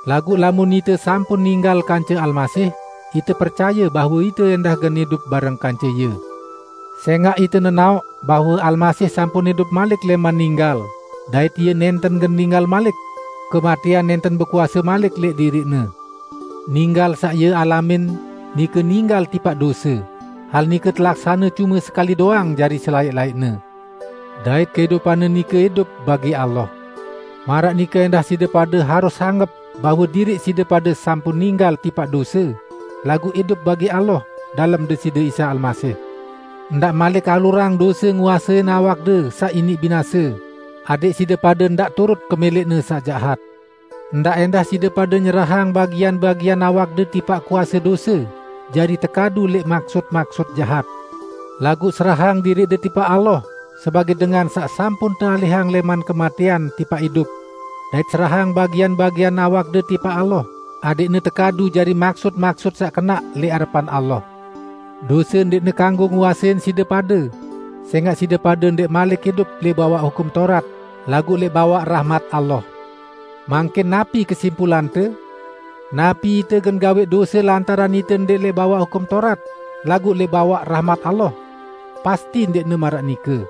Laguq lamun ite sampun ninggal kance Almasih, ite percaye bahwe ite endah gen idup bareng kance Ie. Sengaq ite nenaoq bahwe Almasih sampun idup malik lẽman ninggal, dait Ie nenten gen ninggal malik. Kematean nenten bekuase malik leq diriq-Ne. Ninggal saq Ie alamin, nike ninggal tipaq dose. Hal nike telaksane cume sekali doang jari selaeq-laeqne. Dait keidupanne nike idup bagi Allah. Maraq nike endah side pade harus anggep bahwe diriq side pade sampun ninggal tipaq dose, laguq idup bagi Allah dalem Deside Isa Almasih. Ndaq malik alurang dose nguasein awakde saq iniq binase, adẽq side pade ndaq turut kemeleqne saq jahat. Ndaq endah side pade nyerahang bagian-bagian awakde tipaq kuase dose, jari tekadu leq maksut-maksut jahat. Laguq serahang diriqde tipaq Allah, sebagẽ dengan saq sampun tealihang lẽman kematean tipaq idup, dait serahang bagian-bagian awakde tipaq Allah, adẽqne tekadu jari maksut-maksut saq kenaq leq arepan Allah. Dose ndeqne kanggo nguasein side pade, sengaq side pade ndeq malik idup leq bawaq Hukum Taurat, laguq leq bawaq rahmat Allah. Mangkin napi kesimpulante? Napi ite gen gaweq dose lantaran ite ndeq leq bawaq Hukum Taurat, laguq leq bawaq rahmat Allah? Pasti ndeqne maraq nike!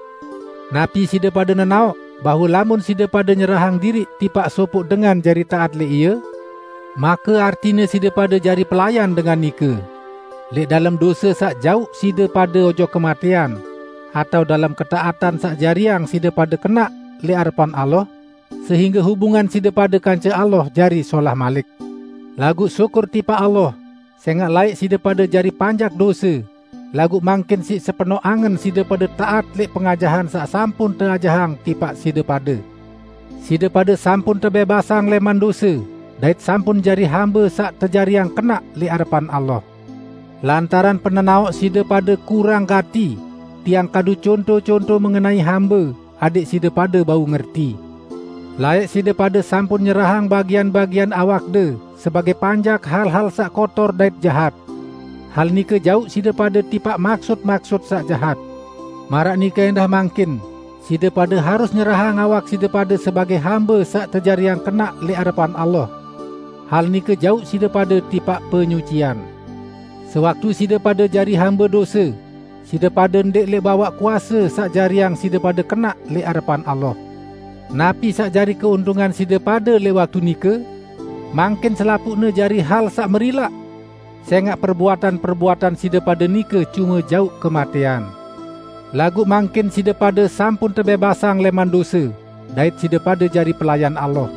Napi side pade nenaoq bahwe lamun side pade nyerahang diriq tipaq sopoq dengan jari taat leq ie, make artine side pade jari pelayan dengan nike. Leq dalem dose saq jauq side pade ojok kematean, atao dalem ketaatan saq jariang side pade kenaq leq arepan Allah, sehingge hubungan side pade kance Allah jari solah malik. Laguq syukur tipaq Allah, sengaq laeq side pade jari panjak dose, laguq mangkin siq sepenoq angen side pade taat leq pengajahan saq sampun teajahang tipaq side pade. Side pade sampun tebebasang lẽman dose, dait sampun jari hambe saq tejariang kenaq leq arepan Allah. Lantaran penenaoq side pade kurang gati, tiang kadu conto-conto mengenai hambe, adẽq side pade bau ngerti. Laeq side pade sampun nyerahang bagian-bagian awakde sebagẽ panjak hal-hal saq kotor dait jahat. Hal nike jauq side pade tipaq maksut-maksut saq jahat. Maraq nike endah mangkin, side pade harus nyerahang awak side pade sebagẽ hambe saq tejariang kenaq leq arepan Allah. Hal nike jauq side pade tipaq penyucian. Sewaktu side pade jari hambe dose, side pade ndeq leq bawaq kuase saq jariang side pade kenaq leq arepan Allah. Napi saq jari keuntungan side pade leq waktu nike? Mangkin selapuqne jari hal saq merilaq, sengaq perbuatan-perbuatan side pade nike cume jauq kematean. Laguq mangkin side pade sampun tebebasang lẽman dose, dait side pade jari pelayan Allah.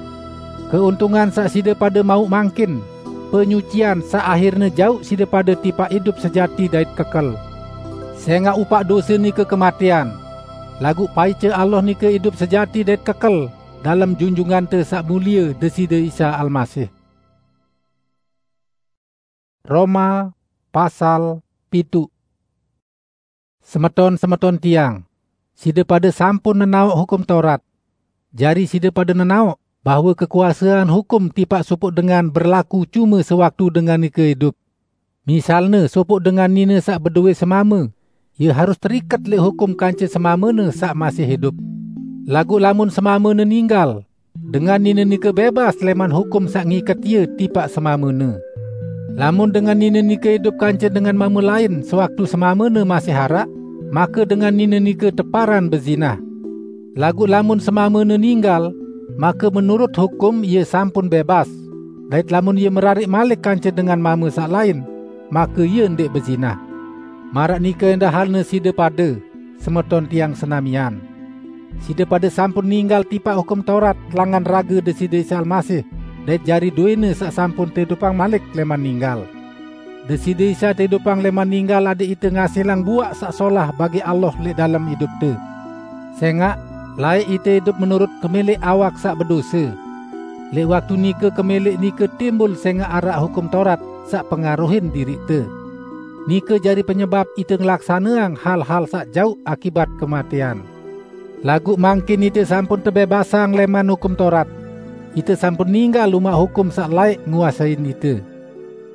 Keuntungan saq side pade mauq mangkin, penyucian saq ahirne jauq side pade tipaq idup sejati dait kekel. Sengaq upaq dose nike kematean, laguq paice Allah nike idup sejati dait kekel dalem Junjungante Saq Mulie Deside Isa Almasih. Roma pasal pitu. Semeton-semeton tiang, side pade sampun nenaoq Hukum Taurat. Jari side pade nenaoq bahwe kekuasean hukum tipaq sopoq dengan berlaku cume sewaktu dengan nike idup. Misalne, sopoq dengan nine saq bedowe semame, ie harus teriket leq hukum kance semamene saq masih idup. Laguq lamun semamene ninggal, dengan nine nike bebas lẽman hukum saq ngiket ie tipaq semamene. Lamun dengan nine nike idup kance dengan mame lain sewaktu semamene masih araq, make dengan nine nike teparan bezinah. Laguq lamun semamene ninggal, make menurut hukum ie sampun bebas, dait lamun ie merariq malik kance dengan mame saq lain, make ie ndeq bezinah. Maraq nike endah halne side pade, semeton tiang senamian. Side pade sampun ninggal tipaq Hukum Taurat langan rage Deside Isa Almasih, dait jari dowene saq sampun teidupang malik lẽman ninggal. Deside Isa teidupang lẽman ninggal adẽq ite ngasilang buaq saq solah bagi Allah leq dalem idupte. Sengaq, laeq ite idup menurut kemeleq awak saq bedose. Leq waktu nike kemeleq nike timbul sengaq araq Hukum Taurat saq pengaruhin diriqte. nike jari penyebab ite ngelaksaneang hal-hal saq jauq akibat kematean. Laguq mangkin ite sampun tebebasang leman Hukum Taurat, ite sampun ninggal umaq hukum saq laeq nguasein ite.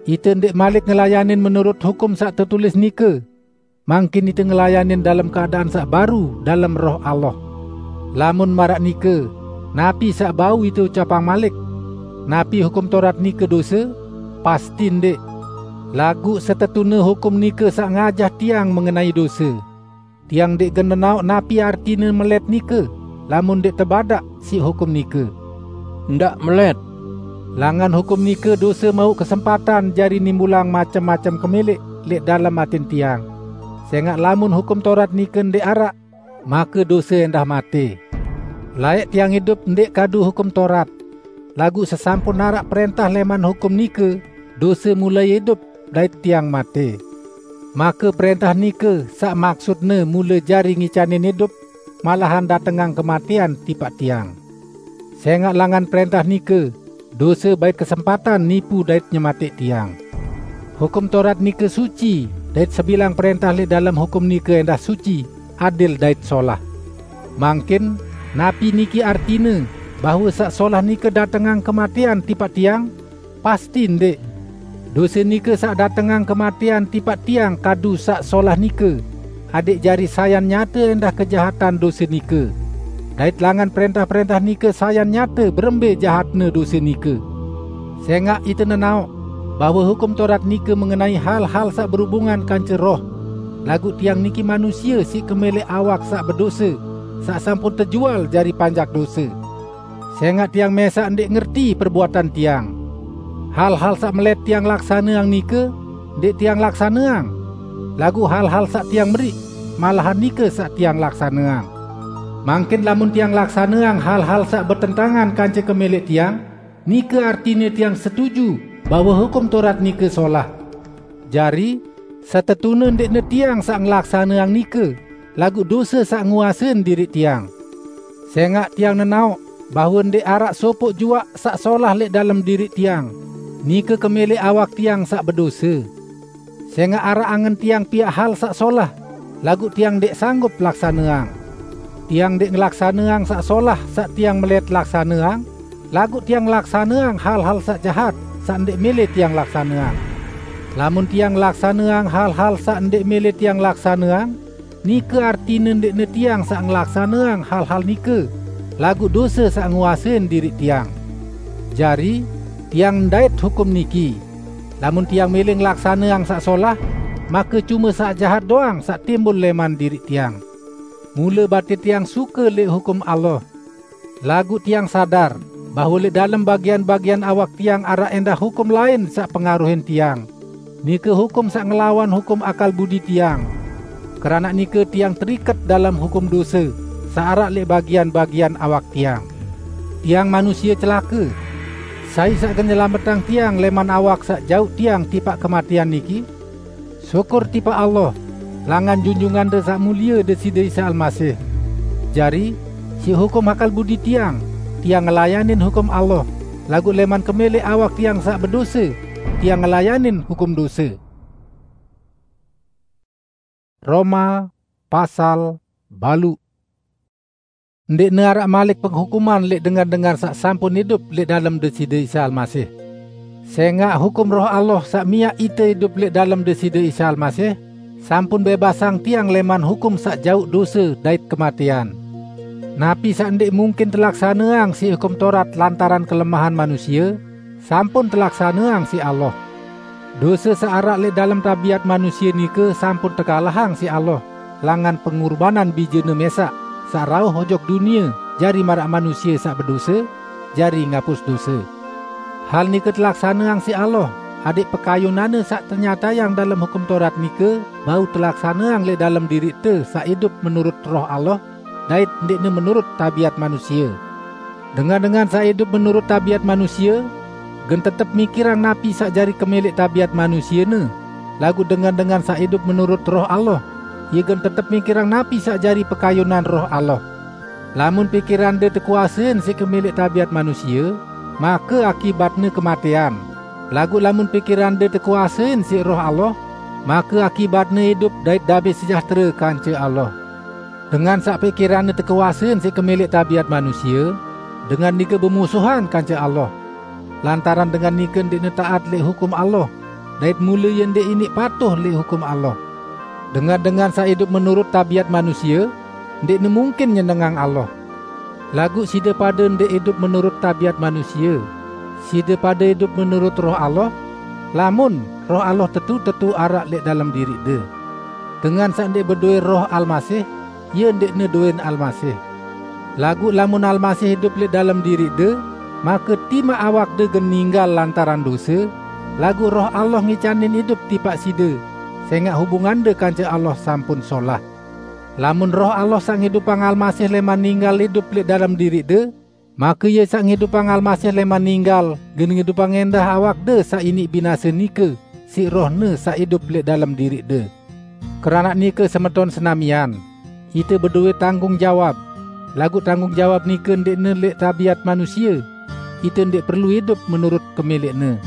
Ite ndeq malik ngelayanin menurut hukum saq tetulis nike, mangkin ite ngelayanin dalem keadaan saq baru dalem Roh Allah. Lamun maraq nike, napi saq bau ite ucapang malik? Napi Hukum Taurat nike dose? Pasti ndeq! Laguq setetune hukum nike saq ngajah tiang mengenai dose. Tiang ndeq gen nenaoq napi artine melet nike, lamun ndeq tebadaq siq hukum nike. Ndaq melet! Langan hukum nike dose mauq kesempatan jari nimbulang macem-macem kemeleq leq dalem atin tiang. Sengaq lamun Hukum Taurat nike ndeq araq, make dose endah mate. Laeq tiang idup ndeq kadu Hukum Taurat, laguq sesampun araq prentah leman hukum nike, dose mulai idup dait tiang mate. Make prentah nike saq maksutne mule jari ngicanin idup, malahan datengang kematean tipaq tiang. Sengaq langan prentah nike, dose bait kesempatan nipu dait nyemateq tiang. Hukum Taurat nike suci, dait sebilang prentah leq dalem hukum nike endah suci, adil dait solah. Mangkin, napi niki artine, bahwe saq solah nike datengang kematean tipaq tiang? Pasti ndeq! Dose nike saq datengang kematean tipaq tiang kadu saq solah nike, adẽq jari sayan nyate endah kejahatan dose nike. Dait langan prentah-prentah nike sayan nyate berembe jahatne dose nike. Sengaq ite nenaoq bahwe Hukum Taurat nike mengenai hal-hal saq berubungan kance roh, laguq tiang niki manusie siq kemeleq awak saq bedose, saq sampun tejual jari panjak dose. Sengaq tiang mẽsaq ndeq ngerti perbuatan tiang. Hal-hal saq melet tiang laksaneang nike, ndeq tiang laksaneang, laguq hal-hal saq tiang meriq, malahan nike saq tiang laksaneang. Mangkin lamun tiang laksaneang hal-hal saq betentangan kance kemeleq tiang, nike artine tiang setuju bahwe Hukum Taurat nike solah. Jari, setetune ndeqne tiang saq ngelaksaneang nike, laguq dose saq nguasein diriq tiang. Sengaq tiang nenaoq bahwe ndeq araq sopoq juaq saq solah leq dalem diriq tiang, nike kemeleq awak tiang saq bedose. Sengaq araq angen tiang piaq hal saq solah, laguq tiang ndeq sanggup laksaneang. Tiang ndeq ngelaksaneang saq solah saq tiang melet laksaneang, laguq tiang ngelaksaneang hal-hal saq jahat saq ndeq mele tiang laksaneang. Lamun tiang ngelaksaneang hal-hal saq ndeq mele tiang laksaneang, nike artine ndeqne tiang saq ngelaksaneang hal-hal nike, laguq dose saq nguasein diriq tiang. Jari, tiang ndait hukum niki: Lamun tiang mele ngelaksaneang saq solah, make cume saq jahat doang saq timbul leman diriq tiang. Mule batin tiang suke lẽq hukum Allah. Laguq tiang sadar bahwe lẽq dalem bagian-bagian awak tiang araq endah hukum lain saq pengaruhin tiang, nike hukum saq ngelawan hukum akal budi tiang. Keranaq nike tiang teriket dalem hukum dose saq araq lẽq bagian-bagian awak tiang. Tiang manusie celake! Sai saq gen nyelametang tiang leman awak saq jauq tiang tipaq kematean niki? Syukur tipaq Allah, langan Junjungante Saq Mulie Deside Isa Almasih! Jari, siq hukum akal budi tiang, tiang ngelayanin hukum Allah, laguq leman kemeleq awak tiang saq bedose, tiang ngelayanin hukum dose. Roma pasal baluq. Ndeqne araq malik penghukuman lẽq dengan-dengan saq sampun idup lẽq dalem Deside Isa Almasih. Sengaq hukum Roh Allah saq miaq ite idup lẽq dalem Deside Isa Almasih, sampun bẽbasang tiang leman hukum saq jauq dose dait kematean. Napi saq ndeq mungkin telaksaneang siq Hukum Taurat lantaran kelemahan manusie, sampun telaksaneang siq Allah. Dose saq araq lẽq dalem tabiat manusie nike sampun tekalahang siq Allah, langan pengurbanan Bijene mẽsaq, saq rauh ojok dunie jari maraq manusie saq bedose, jari ngapus dose. Hal nike telaksaneang siq Allah, adẽq pekayunanne saq tenyatayang dalem Hukum Taurat nike bau telaksaneang lẽq dalem diriqte saq idup menurut Roh Allah, dait ndeqne menurut tabiat manusie. Dengan-dengan saq idup menurut tabiat manusie, gen tetep mikirang napi saq jari kemeleq tabiat manusiene, laguq dengan-dengan saq idup menurut Roh Allah, ie gen tetep mikirang napi saq jari pekayunan Roh Allah. Lamun pikirande tekuasein siq kemeleq tabiat manusie, make akibatne kematean. Laguq lamun pikirande tekuasein siq Roh Allah, make akibatne idup dait damai sejahtera kance Allah. Dengan saq pikiranne tekuasein siq kemeleq tabiat manusie, dengan nike bemusuhan kance Allah. Lantaran dengan nike ndeqne taat leq hukum Allah, dait mule ie ndeq iniq patuh leq hukum Allah. Dengan-dengan saq idup menurut tabiat manusie, ndeqne mungkin nyenengang Allah. Laguq side pade ndeq idup menurut tabiat manusie. Side pade idup menurut Roh Allah, lamun Roh Allah tetu-tetu araq leq dalem diriqde. Dengan saq ndeq bedowe Roh Almasih, ie ndeqne dowen Almasih. Laguq lamun Almasih idup leq dalem diriqde, make timaq awakde gen ninggal lantaran dose, laguq Roh Allah ngicanin idup tipaq side, sengaq hubungande kance Allah sampun solah. Lamun Roh Allah saq ngidupang Almasih leman ninggal idup leq dalem diriqde, make Ie saq ngidupang Almasih leman ninggal gen ngidupang endah awakde saq iniq binase nike siq Roh-Ne saq idup leq dalem diriqde. Keranaq nike, semeton senamian, ite bedowe tanggung jawab, laguq tanggung jawab nike ndeqne leq tabiat manusie. Ite ndeq perlu idup menurut kemeleqne.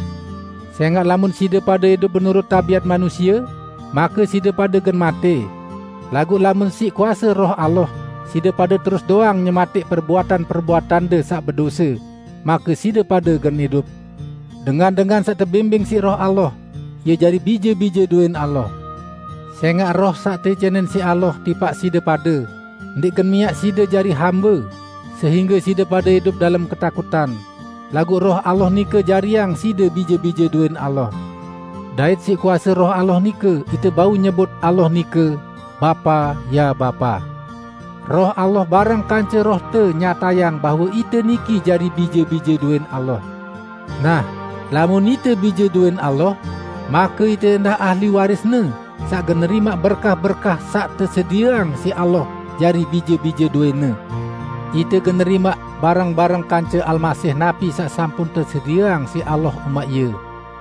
Sengaq lamun side pade idup menurut tabiat manusie, make side pade gen mate. Laguq lamun siq kuase Roh Allah, side pade terus doang nyemateq perbuatan-perbuatande saq bedose, make side pade gen idup. Dengan-dengan saq tebimbing siq Roh Allah, ie jari bije-bije dowen Allah. Sengaq Roh saq teicanin siq Allah tipaq side pade, ndeq gen miaq side jari hambe, sehingge side pade idup dalem ketakutan. Laguq Roh Allah nike jariang side bije-bije dowen Allah. Dait siq kuase Roh Allah nike ite bau nyebut Allah nike, "Bapa, ya Bapa." Roh Allah bareng kance Rohte nyatayang bahwe ite niki jari bije-bije dowen Allah. Nah, lamun ite bije dowen Allah, make ite endah ahli waris-Ne, saq gen nerimaq berkah-berkah saq tesedieang siq Allah jari bije-bije dowen-Ne. Ite gen nerimaq bareng-bareng kance Almasih napi saq sampun tesedieang siq Allah umaq Ie.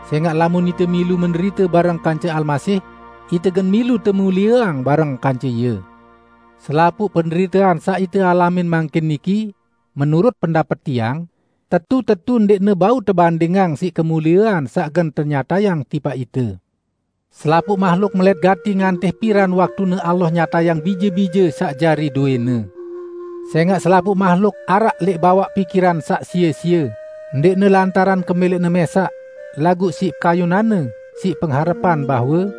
Sengaq lamun ite milu menderite bareng kance Almasih, ite gen milu temulieang bareng kance Ie. Selapuq penderitean saq ite alamin mangkin niki, menurut pendapet tiang, tetu-tetu ndeqne bau tebandingang siq kemuliean saq gen tenyatayang tipaq ite. Selapuq mahluk melet gati ngantih piran waktune Allah nyatayang bije-bije saq jari dowe-Ne. Sengaq selapuq mahluk araq leq bawaq pikiran saq sie-sie, ndeqne lantaran kemeleqne mesaq, laguq siq kayunanne, siq pengharepan bahwe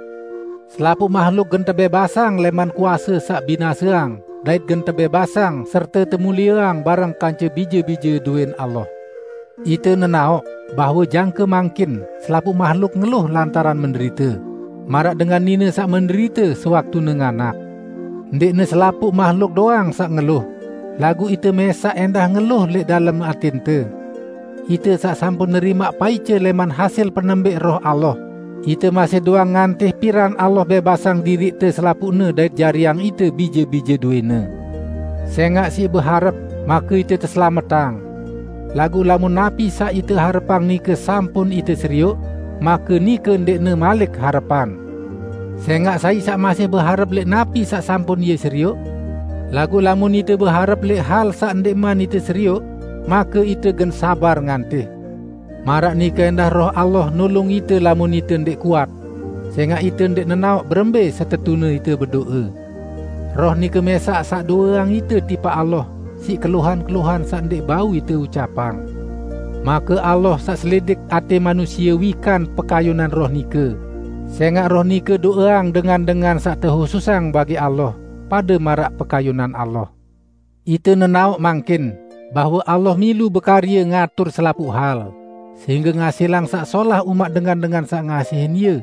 selapuq mahluk gen tebebasang leman kuase saq binaseang, dait gen tebebasang serte temulieang bareng kance bije-bije dowen Allah. Ite nenaoq bahwe jangke mangkin selapuq mahluk ngeluh lantaran menderite, maraq dengan nine saq menderite sewaktune nganak. Ndeqne selapuq mahluk doang saq ngeluh, laguq ite mesaq endah ngeluh leq dalem atinte. Ite saq sampun nerimaq paice leman hasil penembeq Roh Allah, ite masih doang ngantih piran Allah bebasang diriqte selapuqne dait jariang ite bije-bije dowe-Ne. Sengaq siq beharep, make ite teselametang. Laguq lamun napi saq ite harepang nike sampun ite serioq, make nike ndeqne malik harepan. Sengaq sai saq masih beharep leq napi saq sampun ie serioq? Laguq lamun ite beharep leq hal saq ndeqman ite serioq, make ite gen sabar ngantih. Maraq nike endah Roh Allah nulung ite lamun ite ndeq kuat, sengaq ite ndeq nenaoq berembe setetune ite bedoe. Roh nike mesaq saq doweang ite tipaq Allah siq keluhan-keluhan saq ndeq bau ite ucapang. Make Allah saq selidik ate manusie wikan pekayunan Roh nike, sengaq Roh nike doweang dengan-dengan saq tehususang bagi Allah pade maraq pekayunan Allah. Ite nenaoq mangkin bahwe Allah milu bekarye ngatur selapuq hal, sehingge ngasilang saq solah umaq dengan-dengan saq ngasihin Ie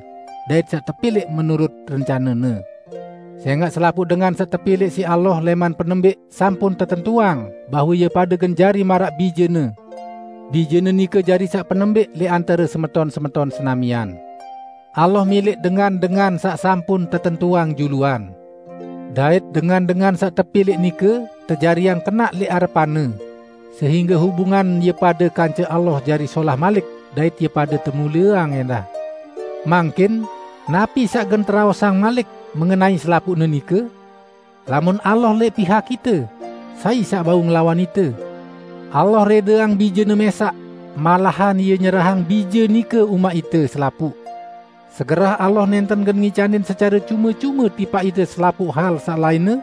dait saq tepilẽq menurut rencane-Ne. Sengaq selapuq dengan saq tepilẽq siq Allah leman penembeq sampun tetentuang bahwe ie pade gen jari maraq bije-Ne. Bije-Ne nike jari saq penembeq leq antare semeton-semeton senamian. Allah milẽq dengan-dengan saq sampun tetentuang juluan. Dait dengan-dengan saq tepilẽq nike tejariang kenaq leq arepan-Ne, sehingge hubungan ie pade kance Allah jari solah malik dait ie pade temulieang endah. Mangkin, napi saq gen teraosang malik mengenai selapuqne nike? Lamun Allah leq pihak ite, sai saq bau ngelawan ite? Allah redeang Bije-Ne mesaq, malahan Ie nyerahang Bije nike umaq ite selapuq. Segerah Allah nenten gen ngicanin secare cume-cume tipaq ite selapuq hal saq lainne,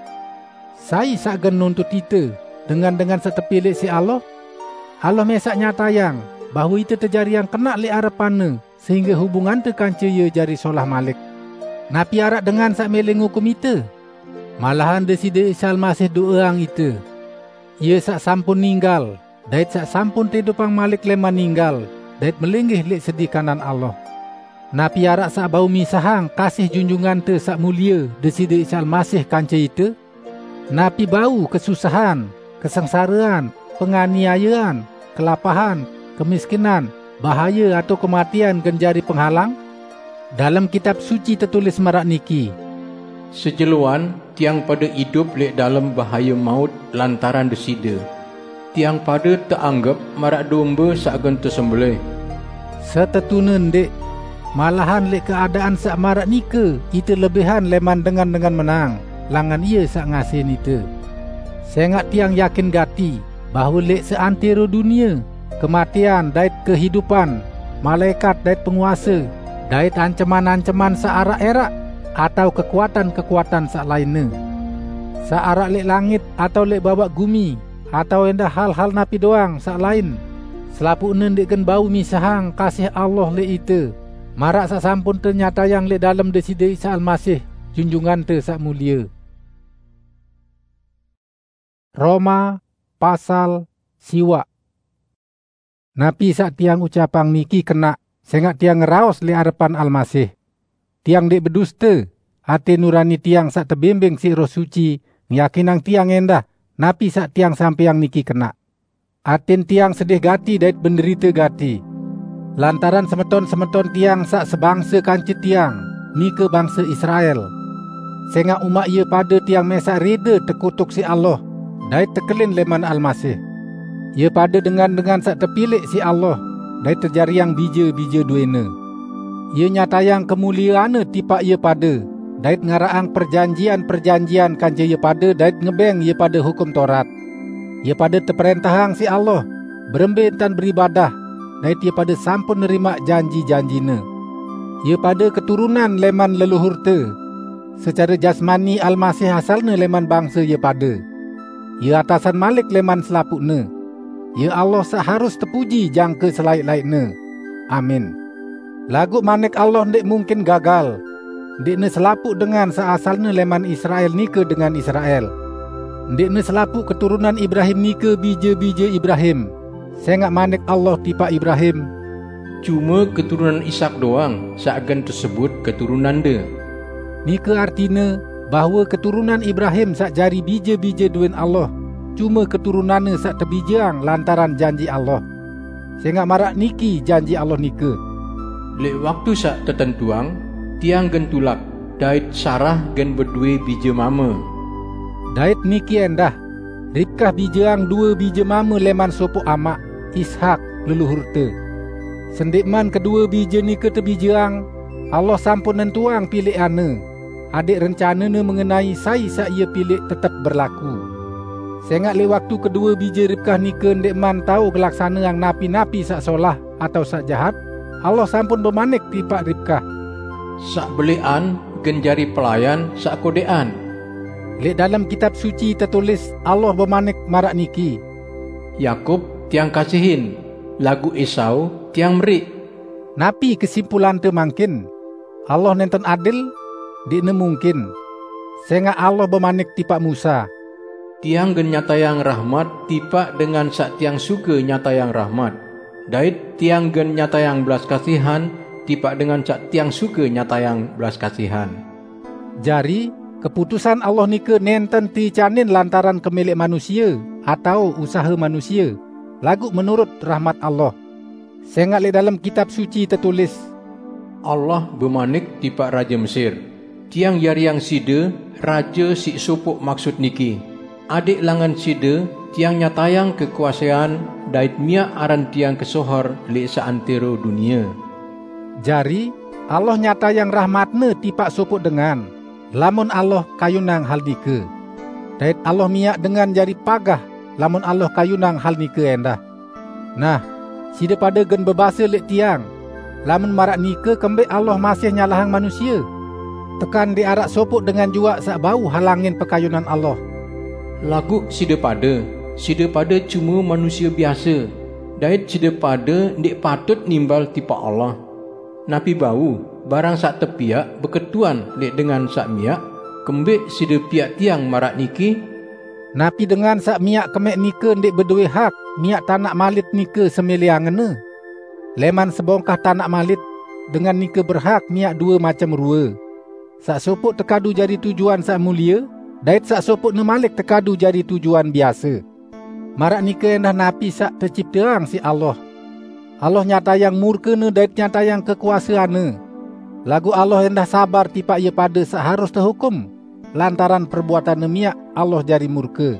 sai saq gen nuntut ite dengan-dengan saq tepilẽq siq Allah? Allah mesaq nyatayang bahwe ite tejariang kenaq leq arepan-Ne sehingge hubungante kance Ie jari solah malik. Napi araq dengan saq mele ngukum ite? Malahan Deside Isa Almasih do'eang ite. Ie saq sampun ninggal, dait saq sampun teidupang malik leman ninggal, dait melinggih leq sedi kanan Allah. Napi araq saq bau misahang kasih Junjungante Saq Mulie Deside Isa Almasih kance ite? Napi bau kesusahan, kesengsarean, penganiayean, kelapahan, kemiskinan, bahaye atao kematean gen jari penghalang? Dalem Kitab Suci tetulis maraq niki, "Sejeloan tiang pade idup leq dalem bahaye maut lantaran Deside. Tiang pade teanggep maraq dombe saq gen tesembelẽh." Setetune ndeq! Malahan leq keadaan saq maraq nike ite lebihan leman dengan-dengan menang, langan Ie saq ngasihin ite. Sengaq tiang yakin gati bahwe leq seantero dunie, kematean dait kehidupan, malaekat dait penguase, dait anceman-anceman saq araq ẽraq, atao kekuatan-kekuatan saq lainne, saq araq leq langit atao leq bawaq gumi, atao ẽndah hal-hal napi doang saq lain, selapuqne ndeq gen bau misahang kasih Allah leq ite, maraq saq sampun tenyatayang leq dalem Deside Isa Almasih, Junjungante Saq Mulie. Roma pasal siwaq. Napi saq tiang ucapang niki kenaq, sengaq tiang ngeraos leq arepan Almasih. Tiang ndeq beduste, ate nurani tiang saq tebimbing siq Roh Suci ngyakinang tiang ẽndah napi saq tiang sampeang niki kenaq. Atin tiang sedih gati dait benderite gati, lantaran semeton-semeton tiang saq sebangse kance tiang, nike bangse Israel. Sengaq umaq ie pade tiang mesaq rede tekutuk siq Allah dait tekelin leman Almasih. Ie pade dengan-dengan saq tepilẽq siq Allah dait tejariang bije-bije dowene. Ie nyatayang kemulieanne tipaq ie pade, dait ngaraqang perjanjian-perjanjian kance ie pade dait ngebeng ie pade Hukum Taurat. Ie pade teprẽntahang siq Allah berembe entan beribadah, dait ie pade sampun nerimaq janji-janjine. Ie pade keturunan leman leluhurte. Secare jasmani Almasih asalne leman bangse ie pade. Ie atasan malik leman selapuqne. Ie Allah saq harus tepuji jangke selaeq-laeqne. Amin. Laguq manik Allah ndeq mungkin gagal. Ndeqne selapuq dengan saq asalne leman Israel nike dengan Israel. Ndeqne selapuq keturunan Ibrahim nike bije-bije Ibrahim. Sengaq manik Allah tipaq Ibrahim, "Cume keturunan Ishak doang saq gen tesebut keturunande." Nike artine bahwe keturunan Ibrahim saq jari bije-bije dowene Allah, cume keturunanne saq tebijeang lantaran janji Allah. Sengaq maraq niki janji Allah nike, "Leq waktu saq tetentuang, Tiang gen tulak, dait Sarah gen bedowe bije mame." Dait niki ẽndah, Ribkah bijeang due bije mame leman sopoq amaq, Ishak, leluhurte. Sendeqman kedue bije nike tebijeang, Allah sampun nentuang pilẽqanne, adẽq rencane-Ne mengenai sai saq Ie pilẽq tetep berlaku. Sengaq leq waktu kedue bije Ribkah nike ndeqman tao ngelaksaneang napi-napi saq solah atao saq jahat, Allah sampun bemanik tipaq Ribkah, "Saq belẽqan gen jari pelayan saq kodeqan." Leq dalem Kitab Suci tetulis Allah bemanik maraq niki, "Yakub Tiang kasihin, laguq Esau Tiang meriq." Napi kesimpulante mangkin? Allah nenten adil? Ndeqne mungkin. Sengaq Allah bemanik tipaq Musa, "Tiang gen nyatayang rahmat tipaq dengan saq Tiang suke nyatayang rahmat, dait Tiang gen nyatayang belas kasihan tipaq dengan saq Tiang suke nyatayang belas kasihan." Jari, keputusan Allah nike nenten teicanin lantaran kemeleq manusie atao usahe manusie, laguq menurut rahmat Allah. Sengaq leq dalem Kitab Suci tetulis, "Allah bemanik tipaq raje Mesir, 'Tiang jariang side raje siq sopoq maksut niki, adẽq langan side Tiang nyatayang kekuasean dait miaq aran Tiang kesohor leq seantero dunie.'" Jari, Allah nyatayang rahmat-Ne tipaq sopoq dengan, lamun Allah kayunang hal nike. Dait Allah miaq dengan jari pagah, lamun Allah kayunang hal nike ẽndah. Nah, side pade gen bebase leq tiang, Lamun maraq nike, kembek Allah masih nyalahang manusia? Tekan ndeq araq sopoq dengan juaq saq bau halangin pekayunan Allah. Laguq side pade, side pade cume manusie biase, dait side pade ndeq patut nimbal tipaq Allah. Napi bau, barang saq tepiaq beketuan leq dengan saq miaq, kembek side piaq tiang maraq niki? Napi dengan saq miaq kemeq nike ndeq bedowe hak miaq tanaq malit nike semeleangenna? Leman sebongkah tanaq malit, dengan nike berhak miaq due macem rue. Saq sopoq tekadu jari tujuan saq mulie, dait saq sopoqne malik tekadu jari tujuan biase. Maraq nike endah napi saq tecipteang siq Allah. Allah nyatayang murkene dait nyatayang kekuaseanne. Laguq Allah endah sabar tipaq ie pade saq harus tehukum, lantaran perbuatanne miaq Allah jari murke.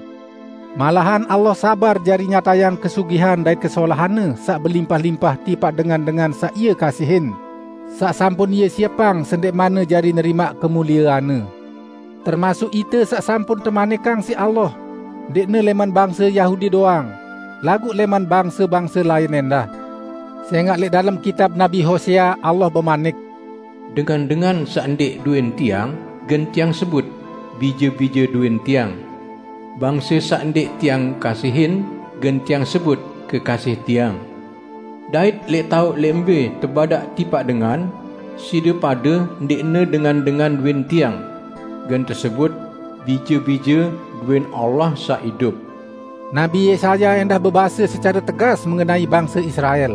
Malahan Allah sabar jari nyatayang kesugihan dait kesolahanne saq belimpah-limpah tipaq dengan-dengan saq ie kasihin, saq sampun ie siepang sendeqmanne jari nerimaq kemulieanne. Termasuk ite saq sampun temanikang siq Allah, ndeqne leman bangse Yahudi doang, laguq leman bangse-bangse lain endah. Sengaq leq dalem kitab Nabi Hosea Allah bemanik, "Dengan-dengan saq ndeq duen Tiang, gen Tiang sebut bije-bije duen Tiang. Bangse saq ndeq Tiang kasihin, gen Tiang sebut kekasih Tiang." Dait leq taoq leq mbe tebadaq tipaq dengan, side pade ndeqne dengan-dengan duen Tiang, gen tesebut bije-bije duen Allah saq idup. Nabi Yesaya endah bebase secare tegas mengenai bangse Israel.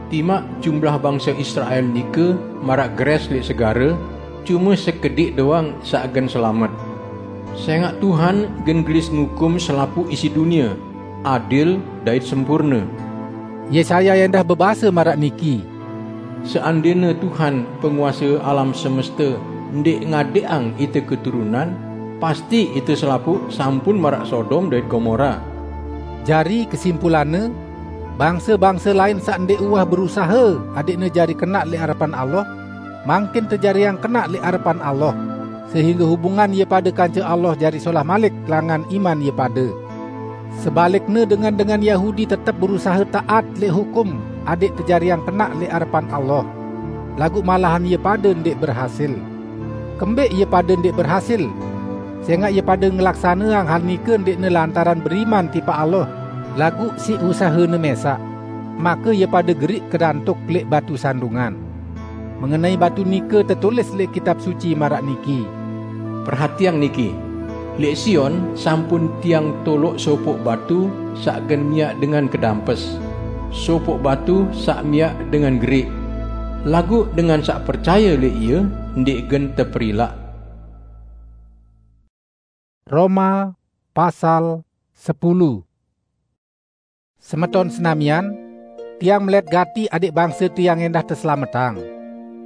Timaq jumlah bangse Israel nike maraq geres leq segare, cume sekediq doang saq gen selamet. Sengaq Tuhan gen gelis ngukum selapuq isi dunie, adil dait sempurne. Yesaya endah bebase maraq niki, "Seandene Tuhan, penguase alam semeste, ndeq ngadeqang ite keturunan, pasti ite selapuq sampun maraq Sodom dait Gomora." Jari, kesimpulanne, bangse-bangse lain saq ndeq uwah berusahe adeqne jari kenaq leq arepan Allah, mangkin tejariang kenaq leq arepan Allah, sehingge hubungan ie pade kance Allah jari solah malik langan iman ie pade. Sebalikne, dengan-dengan Yahudi tetep berusahe taat leq hukum adeq tejariang kenaq leq arepan Allah, laguq malahan ie pade ndeq berhasil. Kembek ie pade ndeq berhasil? Sengaq ie pade ngelaksaneang hal nike ndeqne lantaran beriman tipaq Allah, laguq siq usahene mesaq. Make ie pade geriq kedantuk leq batu sandungan. Mengenai batu nike tetulis leq Kitab Suci maraq niki, "Perhatiang niki! Leq Sion sampun Tiang toloq sopoq batu saq gen miaq dengan kedampes, sopoq batu saq miaq dengan geriq. Laguq dengan saq percaye leq Ie ndeq gen teperilaq." Roma pasal sepulu. Semeton senamian, tiang melet gati adeq bangse tiang endah teselametang,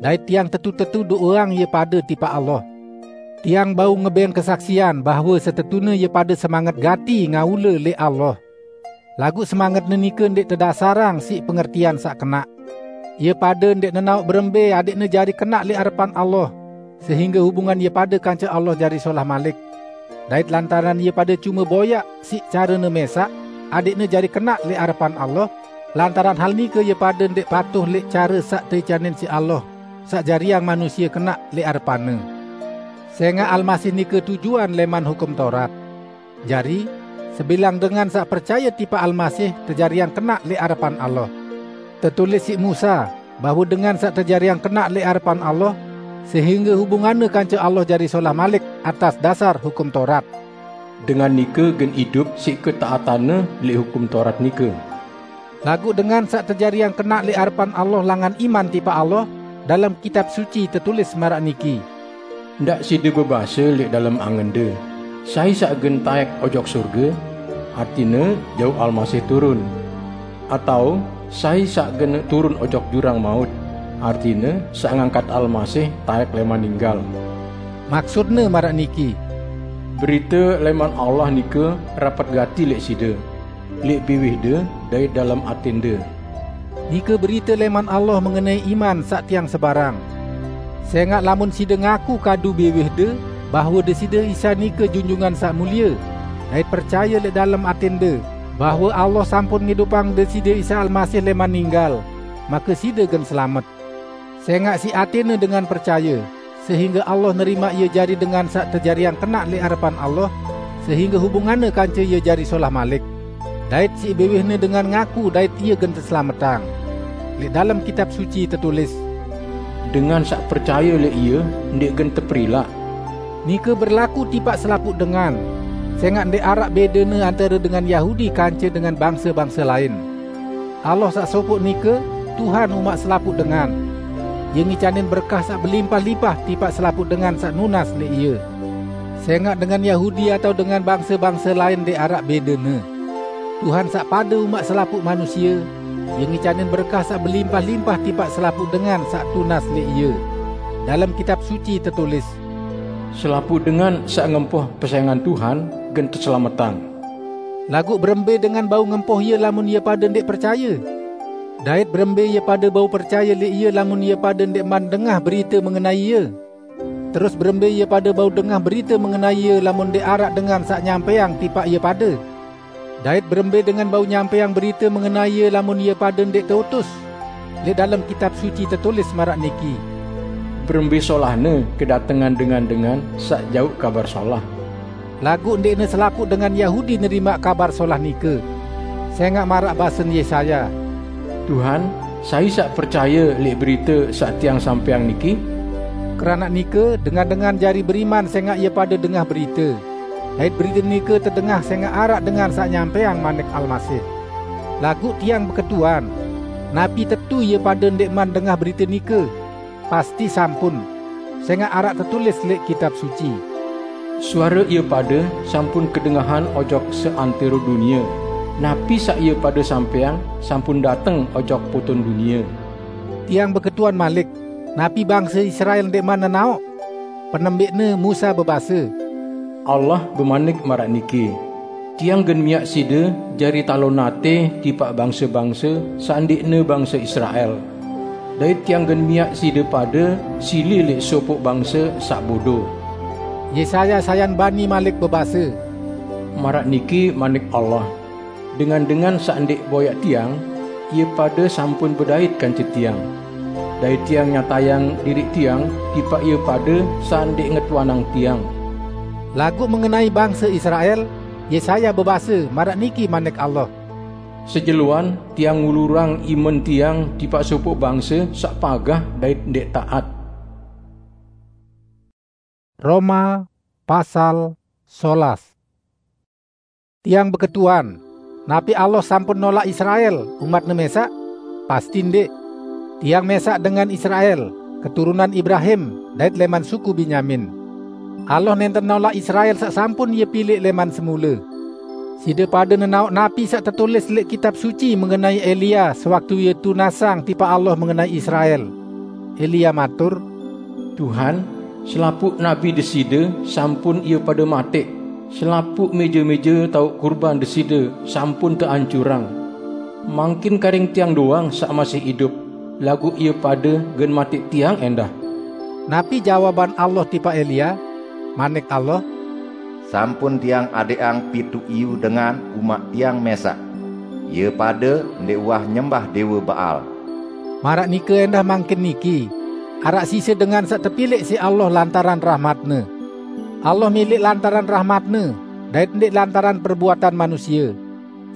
dait tiang tetu-tetu do'eang ie pade tipaq Allah. Tiang bau ngeben kesaksian bahwe setetune ie pade semanget gati ngaule leq Allah. Laguq semangetne nike ndeq tedasarang siq pengertian saq kenaq. Ie pade ndeq nenaoq berembe adeqne jari kenaq leq arepan Allah, sehingge hubungan ie pade kance Allah jari solah malik. Dait lantaran ie pade cume boyaq siq carene mesaq adeqne jari kenaq leq arepan Allah, lantaran hal nike ie pade ndeq patuh leq care saq teicanin siq Allah, saq jariang manusie kenaq leq arepan-Ne. Sengaq Almasih nike tujuan leman Hukum Taurat. Jari, sebilang dengan saq percaye tipaq Almasih tejariang kenaq leq arepan Allah. Tetulis siq Musa, bahwe dengan saq tejariang kenaq leq arepan Allah, sehingge hubunganne kance Allah jari solah malik atas dasar Hukum Taurat. Dengan nike gen idup siq ketaatanne leq Hukum Taurat nike. Laguq dengan saq tejariang kenaq leq arepan Allah langan iman tipaq Allah, dalem Kitab Suci tetulis maraq niki, "Ndaq side bebase leq dalem angende, 'Sai saq gen taek ojok sorge?' Artine, jauq Almasih turun. Atao, 'Sai saq gen turun ojok jurang maut?' Artine, saq ngangkat Almasih taek leman ninggal." Maksudne maraq niki, "Berite leman Allah nike rapet gati leq side, leq biwihde dait dalem atende." Nike berite leman Allah mengenai iman saq tiang sebarang. Sengaq lamun side ngaku kadu biwihde bahwe Deside Isa nike Junjungan Saq Mulie, dait percaye leq dalem atende bahwe Allah sampun ngidupang Deside Isa Almasih leman ninggal, make side gen selamet. Sengaq siq atene dengan percaye, sehingge Allah nerimaq ie jari dengan saq tejariang kenaq leq arepan Allah, sehingge hubunganne kance ie jari solah malik. Dait siq biwihne dengan ngaku dait ie gen teselametang. Leq dalem Kitab Suci tetulis, "Dengan saq percaye leq ie ndeq gen teperilaq." Nike berlaku tipaq selapuq dengan, sengaq ndeq araq bedene antare dengan Yahudi kance dengan bangse-bangse lain. Allah saq sopoq nike Tuhan umaq selapuq dengan. Ie ngicanin berkah saq belimpah-limpah tipaq selapuq dengan saq nunas leq ie. Sengaq dengan Yahudi atao dengan bangse-bangse lain ndeq araq bedene. Tuhan saq pade umaq selapuq manusie, ie ngicanin berkah saq belimpah-limpah tipaq selapuq dengan saq tunas leq ie. Dalem Kitab Suci tetulis, "Selapuq dengan saq ngempoh pesengan Tuhan gen teselametang." Laguq berembe dengan bau ngempoh ie lamun ie pade ndeq percaye? Dait berembe ie pade bau percaye leq ie lamun ie pade ndeqman dengah berite mengenai ie? Terus berembe ie pade bau dengah berite mengenai ie lamun ndeq araq dengan saq nyampeang tipaq ie pade? Dait berembe dengan bau nyampeang berite mengenai ie lamun ie pade ndeq teutus? Leq dalem Kitab Suci tetulis maraq niki, "Berembe solahne kedatengan dengan-dengan saq jauq Kabar Solah." Laguq ndeqne selapuq dengan Yahudi nerimaq Kabar Solah nike. Sengaq maraq basen Yesaya, "Tuhan, sai saq percaye leq berite saq tiang sampeang niki?" Keranaq nike, dengan-dengan jari beriman sengaq ie pade dengah berite. Dait berite nike tedengah sengaq araq dengan saq nyampeang manik Almasih. Laguq tiang beketuan, napi tetu ie pade ndeqman dengah berite nike? Pasti sampun, sengaq araq tetulis leq Kitab Suci, "Suare ie pade sampun kedengahan ojok seantero dunie. Napi saq ie pade sampeang sampun dateng ojok poton dunie." Tiang beketuan malik, napi bangse Israel ndeqman nenaoq? Penembiqne Musa bebase, "Allah bemanik maraq niki, 'Tiang gen miaq side jari talon ate tipaq bangse-bangse saq ndeqne bangse Israel. Dait Tiang gen miaq side pade sili leq sopoq bangse saq bodo.'" Yesaya sayan bani malik bebase, "Maraq niki manik Allah, 'Dengan-dengan saq ndeq boyaq Tiang, ie pade sampun bedait kance Tiang. Dait Tiang nyatayang diriq Tiang tipaq ie pade saq ndeq ngetuanang Tiang.'" Laguq mengenai bangse Israel, Yesaya bebase, "Maraq niki manik Allah, 'Sejeloan Tiang ngulurang imen Tiang tipaq sopoq bangse saq pagah dait ndeq taat.'" Roma pasal solas. Tiang beketuan, napi Allah sampun nolak Israel, umat-Ne mesaq? Pasti ndeq. Tiang mesaq dengan Israel, keturunan Ibrahim, dait leman suku Benyamin. Allah nenten nolak Israel saq sampun Ie pilek leman semule. Side pade nenaoq napi saq tetulis leq Kitab Suci mengenai Elia sewaktu ie tunasang tipaq Allah mengenai Israel. Elia matur, "Tuhan, selapuq nabi Deside sampun ie pade mataq, selapuq meje-meje taoq kurban Deside sampun teancurang. Mangkin karing tiang doang saq masih idup, laguq ie pade gen mataq tiang endah." Napi jawaban Allah tipaq Elia? Manik Allah, "Sampun Tiang adeqang pituq iyu dengan umat Tiang mesaq. Ie pade ndeq uwah nyembah dewe Baal." Maraq nike endah mangkin niki, araq sise dengan saq tepilek siq Allah lantaran rahmat-Ne. Allah milek lantaran rahmat-Ne, dait ndeq lantaran perbuatan manusie.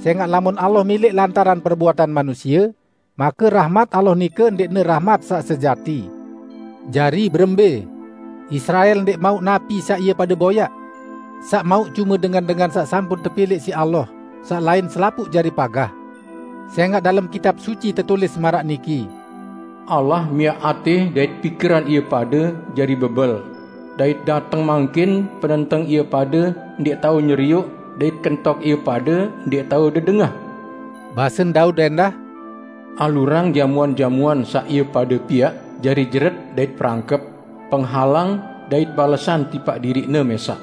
Sengaq lamun Allah milek lantaran perbuatan manusie, make rahmat Allah nike ndeqne rahmat saq sejati. Jari berembe? Israel ndeq mauq napi saq ie pade boyaq. Saq mauq cume dengan-dengan saq sampun tepilek siq Allah, saq lain selapuq jari pagah. Sengaq dalem Kitab Suci tetulis maraq niki, "Allah miaq ate dait pikeran ie pade jari bebel, dait dateng mangkin penenteng ie pade ndeq tao nyerioq, dait kentok ie pade ndeq tao dedengah." Basen Daud endah, "Alurang jamuan-jamuan saq ie pade piaq jari jeret dait perangkep, penghalang dait balesan tipaq diriqne mesaq.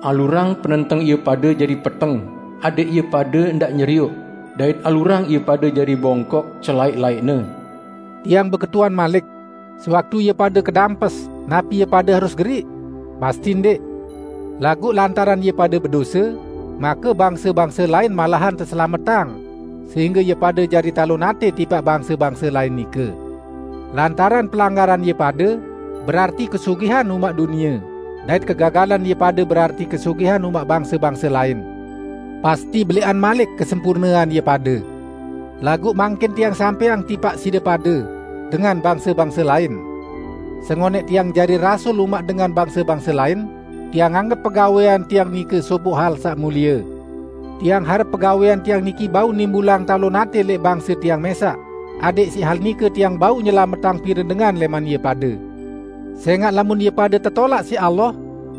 Alurang penenteng ie pade jari peteng, adeq ie pade ndaq nyerioq, dait alurang ie pade jari bongkok selaeq-laeqne." Tiang beketuan malik, sewaktu ie pade kedampes, napi ie pade harus geriq? Pasti ndeq. Laguq lantaran ie pade bedose, make bangse-bangse lain malahan teselametang, sehingge ie pade jari talon ate tipaq bangse-bangse lain nike. Lantaran pelanggaran ie pade, berarti kesugihan umaq dunie, dait kegagalan ie pade berarti kesugihan umaq bangse-bangse laen. Pasti beleqan malik kesempurnean ie pade. Laguq mangkin tiang sampeang tipaq side pade, dengan bangse-bangse laen. Sengoneq tiang jari rasul umaq dengan bangse-bangse laen, tiang anggep pegawean tiang nike sopoq hal saq mulie. Tiang harep pegawean tiang niki bau nimbulang talon ate leq bangse tiang mesaq, adeq siq hal nike tiang bau nyelametang pire dengan leman ie pade. Sengaq lamun ie pade tetolaq siq Allah,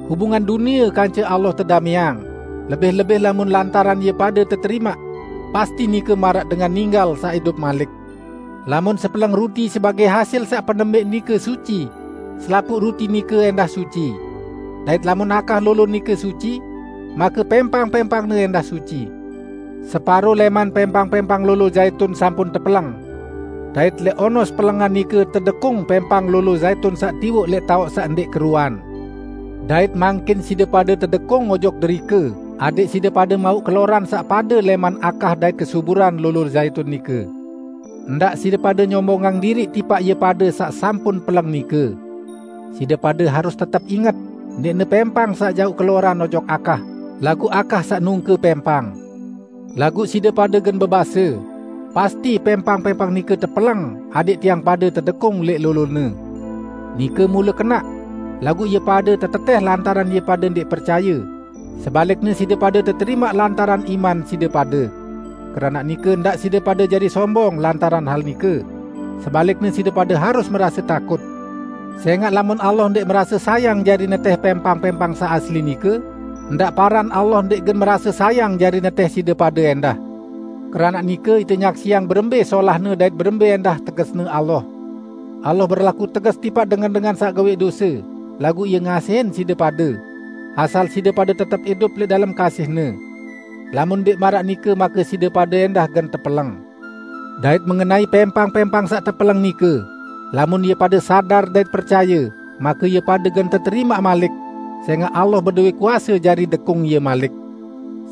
hubungan dunie kance Allah tedameang, lebih-lebih lamun lantaran ie pade teterimaq, pasti nike maraq dengan ninggal saq idup malik. Lamun sepeleng ruti sebagaq hasil saq penembeq nike suci, selapuq ruti nike endah suci. Dait lamun akah lolo nike suci, make pempang-pempangne endah suci. Separo leman pempang-pempang lolo zaitun sampun tepeleng. Dait leq onos pelengan nike tedekung pempang lolo zaitun saq tiwoq leq taoq saq ndeq keruan. Dait mangkin side pade tedekung ojok derike, adeq side pade mauq keloran saq pade leman akah dait kesuburan lolo zaitun nike. Ndaq side pade nyombongang diriq tipaq ie pade saq sampun peleng nike. Side pade harus tetep inget, ndeqne pempang saq jauq keloran ojok akah, laguq akah saq nungke pempang. Laguq side pade gen bebase, "Pasti pempang-pempang nike tepeleng adeq tiang pade tedekung leq lolone." Nike mule kenaq, laguq ie pade teteteh lantaran ie pade ndeq percaye. Sebalikne side pade teterimaq lantaran iman side pade. Keranaq nike ndaq side pade jari sombong lantaran hal nike. Sebalikne side pade harus merase takut. Sengaq lamun Allah ndeq merase sayang jari neteh pempang-pempang saq asli nike, ndaq paran Allah ndeq gen merase sayang jari neteh side pade endah. Keranaq nike ite nyaksiang berembe solahne dait berembe endah tegesne Allah. Allah berlaku teges tipaq dengan-dengan saq gawẽq dose, laguq Ie ngasihin side pade, asal side pade tetep idup leq dalem kasih-Ne. Lamun ndeq maraq nike, make side pade endah gen tepeleng. Dait mengenai pempang-pempang saq tepeleng nike, lamun ie pade sadar dait percaye, make ie pade gen teterimaq malik, sengaq Allah bedowe kuase jari dekung ie malik.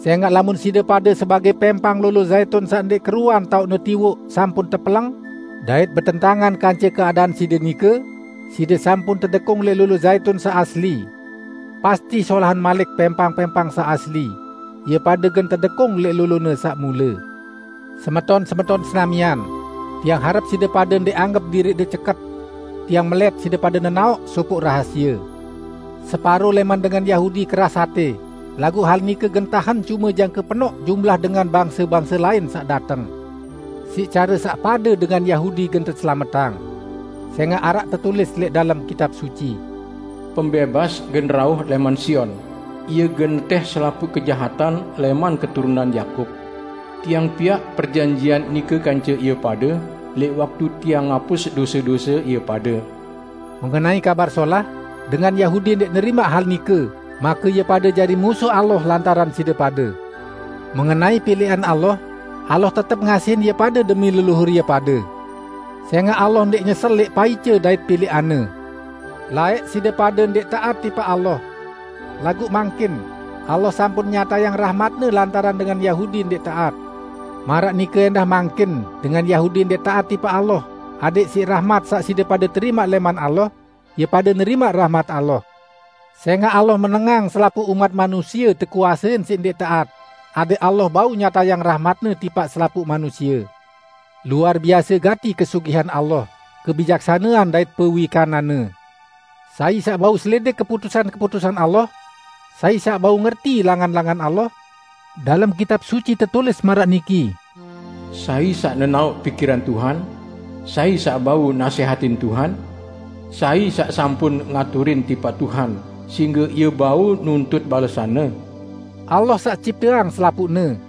Sengaq lamun side pade sebagaq pempang lolo zaitun saq ndeq keruan taoqne tiwoq sampun tepeleng, dait betentangan kance keadaan side nike, side sampun tedekung leq lolo zaitun saq asli. Pasti solahan malik pempang-pempang saq asli, ie pade gen tedekung leq lolone saq mule. Semeton-semeton senamian, tiang harep side pade ndeq anggep diriqde ceket. Tiang melet side pade nenaoq sopoq rahasie. Separo leman dengan Yahudi keras ate, laguq hal nike gen tahen cume jangke penoq jumlah dengan bangse-bangse lain saq dateng. Siq care saq pade dengan Yahudi gen teselametang, sengaq araq tetulis leq dalem Kitab Suci, "Pembebas gen rauh leman Sion. Ie gen neteh selapuq kejahatan leman keturunan Yakub." Tiang piaq perjanjian nike kance ie pade, leq waktu tiang ngapus dose-dose ie pade. Mengenai Kabar Solah, dengan Yahudi ndeq nerimaq hal nike, make ie pade jari musuh Allah lantaran side pade. Mengenai pileqan Allah, Allah tetep ngasihin ie pade demi leluhur ie pade. Sengaq Allah ndeq nyesel leq paice dait pileqan-Ne. Laeq side pade ndeq taat tipaq Allah. Laguq mangkin, Allah sampun nyatayang rahmat-Ne lantaran dengan Yahudi ndeq taat. Maraq nike endah mangkin, dengan Yahudi ndeq taat tipaq Allah, adeq siq rahmat saq side pade terimaq leman Allah, ie pade nerimaq rahmat Allah. Sengaq Allah menengang selapuq umat manusie tekuasein siq ndeq taat, adeq Allah bau nyatayang rahmat-Ne tipaq selapuq manusie. Luar biase gati kesugihan Allah, kebijaksanean dait pewikananne! Sai saq bau selidik keputusan-keputusan Allah? Sai saq bau ngerti langan-langan Allah? Dalem Kitab Suci tetulis maraq niki, "Sai saq nenaoq pikiran Tuhan? Sai saq bau nasehatin Tuhan? Sai saq sampun ngaturin tipaq Tuhan, singge Ie bau nuntut balesanne?" Allah saq cipteang selapuqne.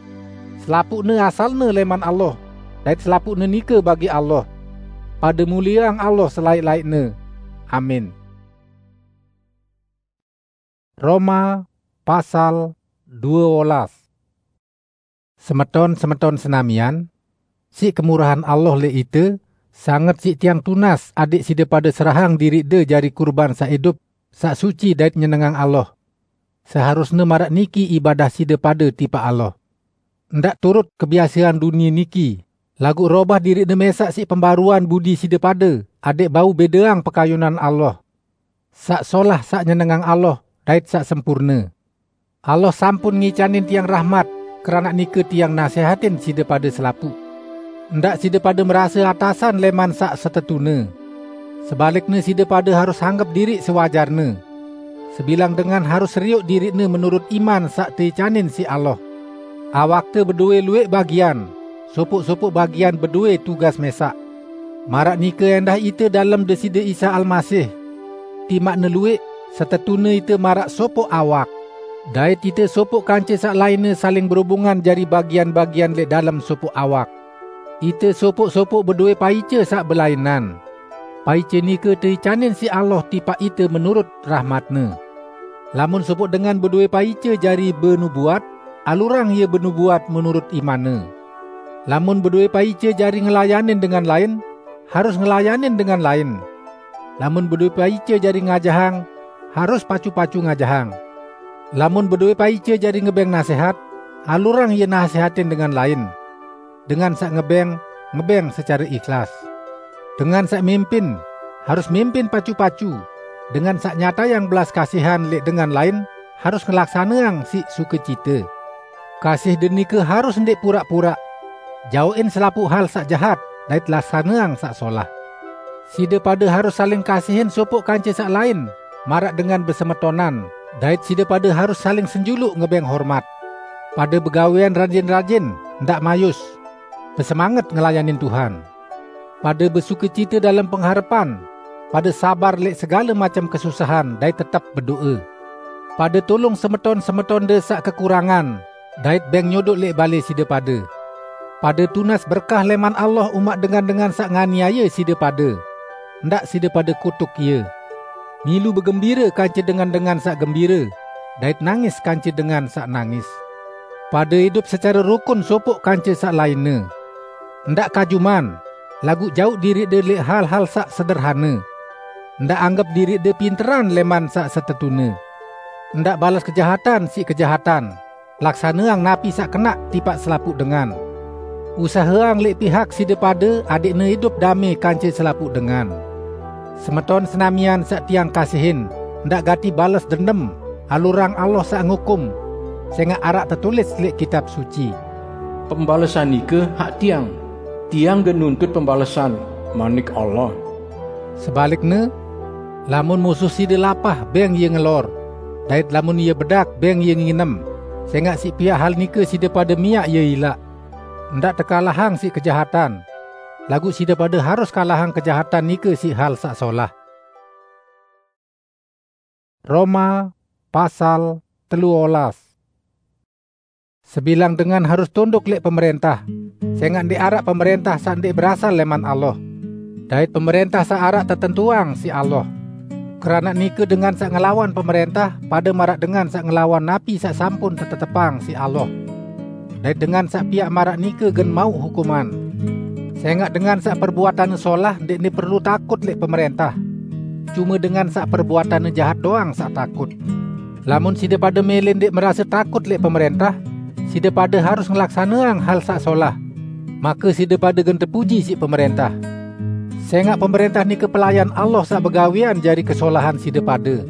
Selapuqne asalne leman Allah, dait selapuqne nike bagi Allah. Pade mulieang Allah selaeq-laeqne. Amin. Roma pasal due olas. Semeton-semeton senamian, siq kemurahan Allah leq ite, sanget siq tiang tunas adeq side pade serahang diriqde jari kurban saq idup, saq suci dait nyenengang Allah. Seharusne maraq niki ibadah side pade tipaq Allah. Ndaq turut kebiasean dunie niki, Laguq robah diriqne mesaq siq pembaruan budi side pade, adẽq bau bedeang pekayunan Allah. Saq solah, saq nyenengang Allah, dait saq sempurne. Allah sampun ngicanin tiang rahmat, keranaq nike tiang nasehatin side pade selapuq. Ndaq side pade merase atasan leman saq setetune. Sebalikne, side pade harus anggep diriq sewajarne. Sebilang dengan harus serioq diriqne menurut iman saq teicanin siq Allah. Awakte bedowe lueq bagian, sopoq-sopoq bagian bedowe tugas mesaq. Maraq nike endah ite dalem Deside Isa Almasih. Timaqne lueq, setetune ite maraq sopoq awak. Dait ite sopoq kance saq lainne saling berubungan jari bagian-bagian leq dalem sopoq awak. Ite sopoq-sopoq bedowe paice saq belainan. Paice nike teicanin siq Allah tipaq ite menurut rahmat-Ne. Lamun sopoq dengan bedowe paice jari benubuat, alurang ie benubuat menurut imanne. Lamun bedowe paice jari ngelayanin dengan lain, harus ngelayanin dengan lain. Lamun bedowe paice jari ngajahang, harus pacu-pacu ngajahang. Lamun bedowe paice jari ngebeng nasehat, alurang ie nasehatin dengan lain. Dengan saq ngebeng, ngebeng secare ikhlas. Dengan saq mimpin, harus mimpin pacu-pacu. Dengan saq nyatayang belas kasihan leq dengan lain, harus ngelaksaneang siq sukecite. Kasih denike harus ndeq puraq-puraq. Jaoqin selapuq hal saq jahat, dait laksaneang saq solah. Side pade harus saling kasihin sopoq kance saq lain, maraq dengan besemetonan, dait side pade harus saling senjuluq ngebeng hormat. Pade begawean rajin-rajin, ndaq mayus. Besemanget ngelayanin Tuhan. Pade besukecite dalem pengharepan, pade sabar leq segale macem kesusahan dait tetep bedo'e. Pade tulung semeton-semetonde saq kekurangan, dait beng nyodoq leq bale side pade. Pade tunas berkah leman Allah umaq dengan-dengan saq nganiaye side pade. Ndaq side pade kutuk ie. Milu begembire kance dengan-dengan saq gembire, dait nangis kance dengan saq nangis. Pade idup secare rukun sopoq kance saq lainne. Ndaq kajuman, laguq jauq diriqde leq hal-hal saq sederhane. Ndaq anggep diriqde pinteran leman saq setetune. Ndaq bales kejahatan siq kejahatan. Laksaneang napi saq kenaq tipaq selapuq dengan. Usaheang leq pihak side pade adẽqne idup dame kance selapuq dengan. Semeton senamian saq tiang kasihin, ndaq gati bales dendem, alurang Allah saq ngukum, sengaq araq tetulis leq Kitab Suci, "Pembalesan nike hak Tiang. Tiang gen nuntut pembalesan," manik Allah. Sebalikne, lamun musuh side lapah, beng ie ngelor, dait lamun ie bedak, beng ie nginem, sengaq siq piaq hal nike side pade miaq ie ilaq. Ndaq tekalahang siq kejahatan, laguq side pade harus kalahang kejahatan nike siq hal saq solah. Roma pasal telu olas. Sebilang dengan harus tunduk leq pemerentah, sengaq ndeq araq pemerentah saq ndeq berasal leman Allah. Dait pemerentah saq araq tetentuang siq Allah. Keranaq nike dengan saq ngelawan pemerentah pade maraq dengan saq ngelawan napi saq sampun tetetepang siq Allah. Dait dengan saq piaq maraq nike gen mauq hukuman. Sengaq dengan saq perbuatanne solah ndeqne perlu takut leq pemerentah. Cume dengan saq perbuatanne jahat doang saq takut. Lamun side pade mele ndeq merase takut leq pemerentah, side pade harus ngelaksaneang hal saq solah. Make side pade gen tepuji siq pemerentah. Sengaq pemerentah nike pelayan Allah saq begawean jari kesolahan side pade.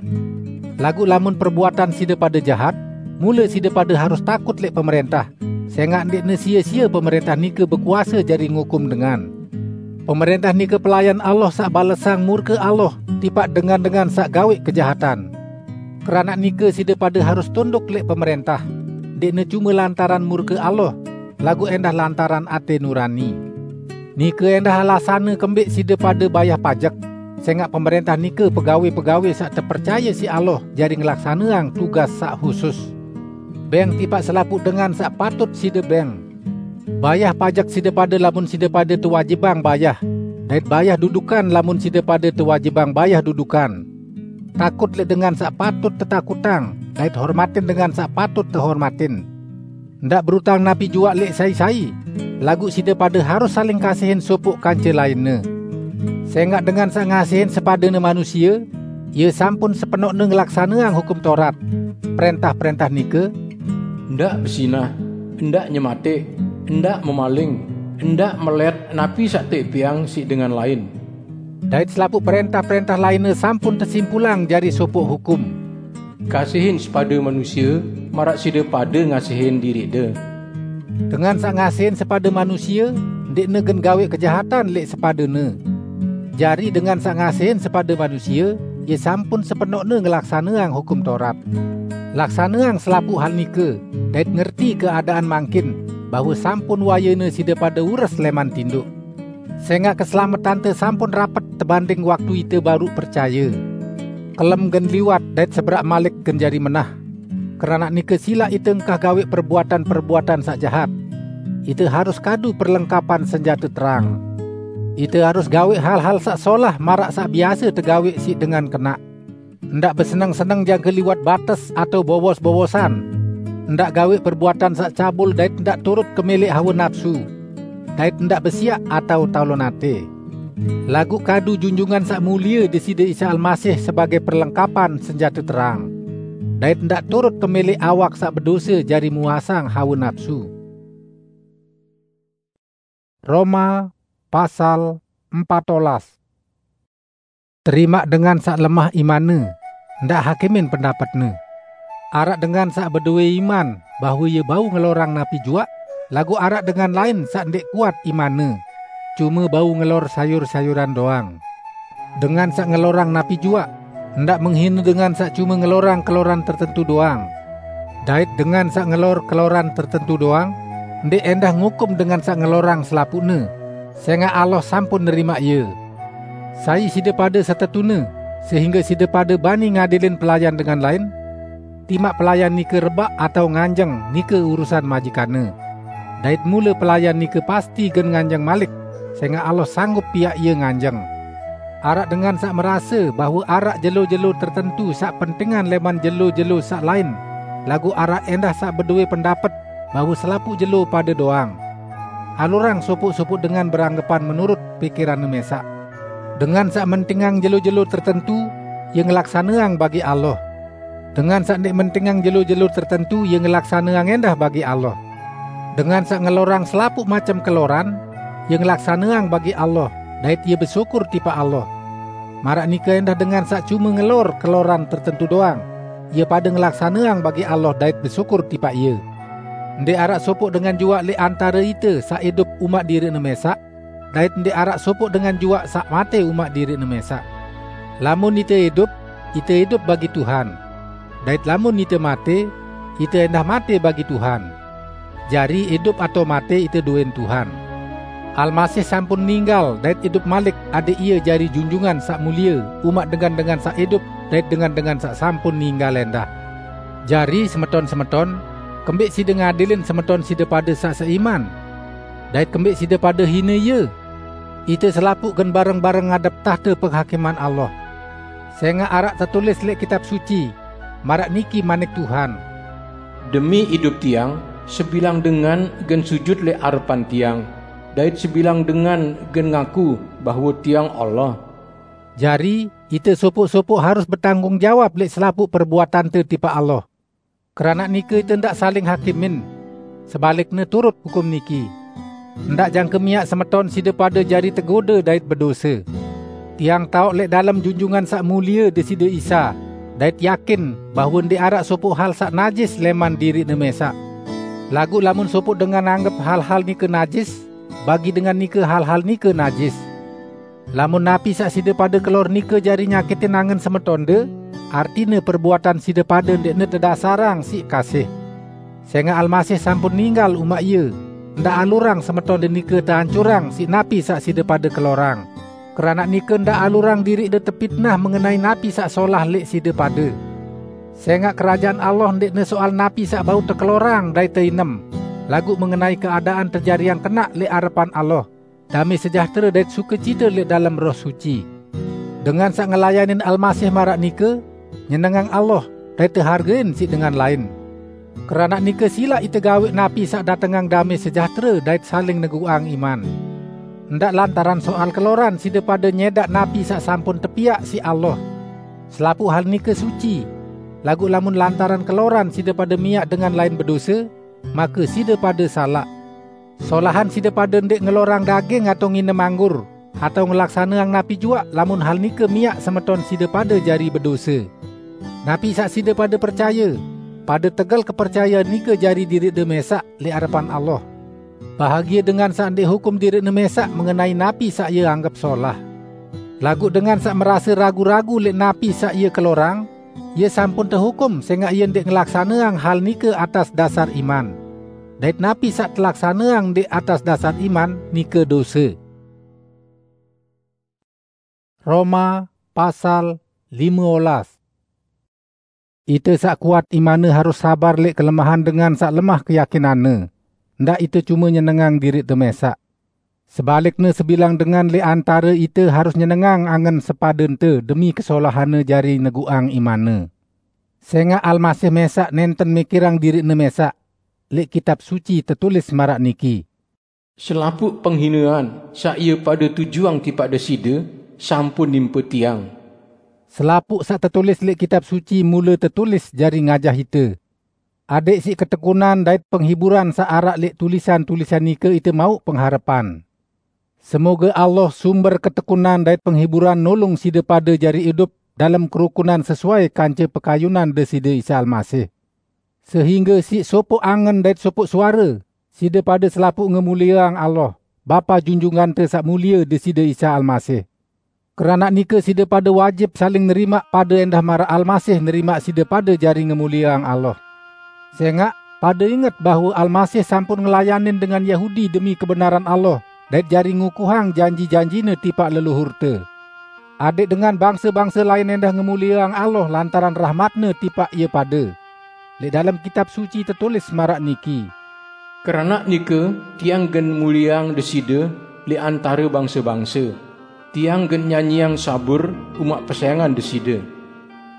Laguq lamun perbuatan side pade jahat, mule side pade harus takut leq pemerentah, sengaq ndeqne sie-sie pemerentah nike bekuase jari ngukum dengan. Pemerentah nike pelayan Allah saq balesang murke Allah tipaq dengan-dengan saq gaweq kejahatan. Keranaq nike side pade harus tunduk leq pemerentah, ndeqne cume lantaran murke Allah, laguq endah lantaran ate nurani. Nike endah alasanne kembeq side pade bayah pajek, sengaq pemerentah nike pegawe-pegawe saq tepercaye siq Allah jari ngelaksaneang tugas saq husus. Beng tipaq selapuq dengan saq patut side beng. Bayah pajek side pade lamun side pade tewajibang bayah, dait bayah dudukan lamun side pade tewajibang bayah dudukan. Takut leq dengan saq patut tetakutang, dait hormatin dengan saq patut tehormatin. Ndaq berutang napi juaq leq sai-sai, laguq side pade harus saling kasihin sopoq kance lainne. Sengaq dengan saq ngasihin sepadene manusie, ie sampun sepenoqne ngelaksaneang Hukum Taurat, prentah-prentah nike, "Ndaq bezinah, ndaq nyemateq, ndaq memaling, Ndak melet napi saq tepiang siq dengan lain. Dait selapuq prentah-prentah lainne sampun tesimpulang jari sopoq hukum. Kasihin sepada manusia, maraq side pade ngasihin diriqde. Dengan saq ngasihin sepada manusia, ndeqne gen gaweq kejahatan leq sepadene. Jari dengan saq ngasihin sepada manusia, ie sampun sepenoqne ngelaksaneang Hukum Taurat. Laksaneang selapuq hal nike, dait ngerti keadaan mangkin, bahwe sampun wayene side pade ures leman tindoq. Sengaq keselametante sampun rapet tebanding waktu ite baruq percaye. Kelem gen liwat dait seberaq malik gen jari menah. Keranaq nike silaq ite engkah gaweq perbuatan-perbuatan saq jahat. Ite harus kadu perlengkapan senjate terang. Ite harus gaweq hal-hal saq solah maraq saq biase tegaweq siq dengan kenaq. Ndaq beseneng-seneng jangke liwat bates atao bowos-bowosan. Ndaq gaweq perbuatan saq cabul dait ndaq turut kemeleq hawe napsu. Dait ndaq besiaq atao talon ate. Laguq kadu Junjungan Saq Mulie Deside Isa Almasih sebagei perlengkapan senjate terang. Dait ndaq turut kemeleq awak saq bedose jari muasang hawe napsu. Roma pasal empat olas. Terimaq dengan saq lemah imanne, ndaq hakimin pendapetne. Araq dengan saq bedowe iman bahwe ie bau ngelorang napi juaq, laguq araq dengan lain saq ndeq kuat imanne, cume bau ngelor sayur-sayuran doang. Dengan saq ngelorang napi juaq, ndaq menghine dengan saq cume ngelorang keloran tertentu doang. Dait dengan saq ngelor keloran tertentu doang, ndeq endah ngukum dengan saq ngelorang selapuqne, sengaq Allah sampun nerimaq ie. Sai side pade setetune, sehingge side pade bani ngadilin pelayan dengan lain? Timaq pelayan nike rebaq atao nganjeng nike urusan majikanne. Dait mule pelayan nike pasti gen nganjeng malik, sengaq Allah sanggup piaq ie nganjeng. Araq dengan saq merase bahwe araq jelo-jelo tertentu saq pentingan leman jelo-jelo saq lain, laguq araq endah saq bedowe pendapet bahwe selapuq jelo pade doang. Alurang sopoq-sopoq dengan beranggepan menurut pikiranne mesaq. Dengan saq mentingang jelo-jelo tertentu, ie ngelaksaneang bagi Allah. Dengan saq ndeq mentingang jelo-jelo tertentu, ie ngelaksaneang endah bagi Allah. Dengan saq ngelorang selapuq macem keloran, ie ngelaksaneang bagi Allah, dait ie besyukur tipaq Allah. Maraq nike endah dengan saq cume ngelor keloran tertentu doang, ie pade ngelaksaneang bagi Allah dait besyukur tipaq Ie. Ndeq araq sopoq dengan juaq leq antare ite saq idup umaq diriqne mesaq, dait ndeq araq sopoq dengan juaq saq mate umaq diriqne mesaq. Lamun ite idup, ite idup bagi Tuhan. Dait lamun ite mate, ite endah mate bagi Tuhan. Jari, idup atao mate, ite doin Tuhan. Almasih sampun ninggal dait idup malik, adaq Ie jari Junjungan Saq Mulie umaq dengan-dengan saq idup dait dengan-dengan saq sampun ninggal endah. Jari, semeton-semeton, kembeq side ngadilin semeton side pade saq seiman? Dait kembeq side pade hine ie? Ite selapuq gen bareng-bareng ngadep tahte penghakiman Allah. Sengaq araq tetulis leq Kitab Suci, maraq niki manik Tuhan, "Demi idup tiang, sebilang dengan gen sujut leq arepan tiang, dait sebilang dengan gen ngaku bahwe tiang Allah." Jari, ite sopoq-sopoq harus betanggung jawab leq selapuq perbuatante tipaq Allah. Keranaq nike ite ndaq saling hakimin. Sebalikne turut hukum niki. Ndaq jangke miaq semeton side pade jari tegode dait bedose. Tiang taoq leq dalem Junjungan Saq Mulie Deside Isa, dait yakin bahwe ndeq araq sopoq hal saq najis leman diriqne mesaq. Laguq lamun sopoq dengan anggep hal-hal nike najis, bagi dengan nike hal-hal nike najis. Lamun napi saq side pade kelor nike jari nyakitin angen semetonde, artine perbuatan side pade ndeqne tedasarang siq kasih. Sengaq Almasih sampun ninggal umaq Ie, ndaq alurang semetonde nike teancurang siq napi saq side pade kelorang. Keranaq nike ndaq alurang diriqde tepitnah mengenai napi saq solah leq side pade. Sengaq Kerajaan Allah ndeqne soal napi saq bau tekelorang dait teinem, laguq mengenai keadaan tejariang kenaq leq arepan Allah, dame sejahtere dait sukecite leq dalem Roh Suci. Dengan saq ngelayanin Almasih maraq nike, nyenengang Allah dait tehargein siq dengan lain. Keranaq nike silaq ite gaweq napi saq datengang dame sejahtere dait saling neguqang iman. Ndaq lantaran soal keloran side pade nyedaq napi saq sampun tepiaq siq Allah. Selapuq hal nike suci, laguq lamun lantaran keloran side pade miaq dengan lain bedose, make side pade salaq. Solahan side pade ndeq ngelorang daging atao nginem anggur, atao ngelaksaneang napi juaq lamun hal nike miaq semeton side pade jari bedose. Napi saq side pade percaye, pade tegel kepercayean nike jari diriqde mesaq leq arepan Allah. Bahagie dengan saq ndeq hukum diriqne mesaq mengenai napi saq ie anggep solah. Laguq dengan saq merase ragu-ragu leq napi saq ie kelorang, ie sampun tehukum sengaq ie ndeq ngelaksaneang hal nike atas dasar iman. Dait napi saq telaksaneang ndeq atas dasar iman, nike dose. Roma pasal lime olas. Ite saq kuat imanne harus sabar leq kelemahan dengan saq lemah keyakinanne. Ndaq ite cume nyenengang diriqte mesaq. Sebalikne, sebilang dengan leq antare ite harus nyenengang angen sepadente demi kesolahanne jari neguqang imanne. Sengaq Almasih mesaq nenten mikirang diriqne mesaq. Leq Kitab Suci tetulis maraq niki, "Selapuq penghinean saq ie pade tujuang tipaq Deside sampun nimpe tiang." Selapuq saq tetulis leq Kitab Suci mule tetulis jari ngajah ite, adẽq siq ketekunan dait penghiburan saq araq leq tulisan-tulisan nike ite mauq pengharepan. Semoge Allah, sumber ketekunan dait penghiburan, nulung side pade jari idup dalem kerukunan sesuai kance pekayunan Deside Isa Almasih, sehingge siq sopoq angen dait sopoq suare, side pade selapuq ngemulieang Allah, Bapa Junjungante Saq Mulie, Deside Isa Almasih. Keranaq nike side pade wajib saling nerimaq pade endah maraq Almasih nerimaq side pade jari ngemulieang Allah. Sengaq pade inget bahwe Almasih sampun ngelayanin dengan Yahudi demi kebenaran Allah, dait jari ngukuhang janji-janjine tipaq leluhurte. Adẽq dengan bangse-bangse lain endah ngemulieang Allah lantaran rahmatne tipaq ie pade. Leq dalem Kitab Suci tetulis maraq niki, "Keranaq nike tiang gen mulieang Deside leq antare bangse-bangse. Tiang gen nyanyiang sabur umaq pesayangan Deside."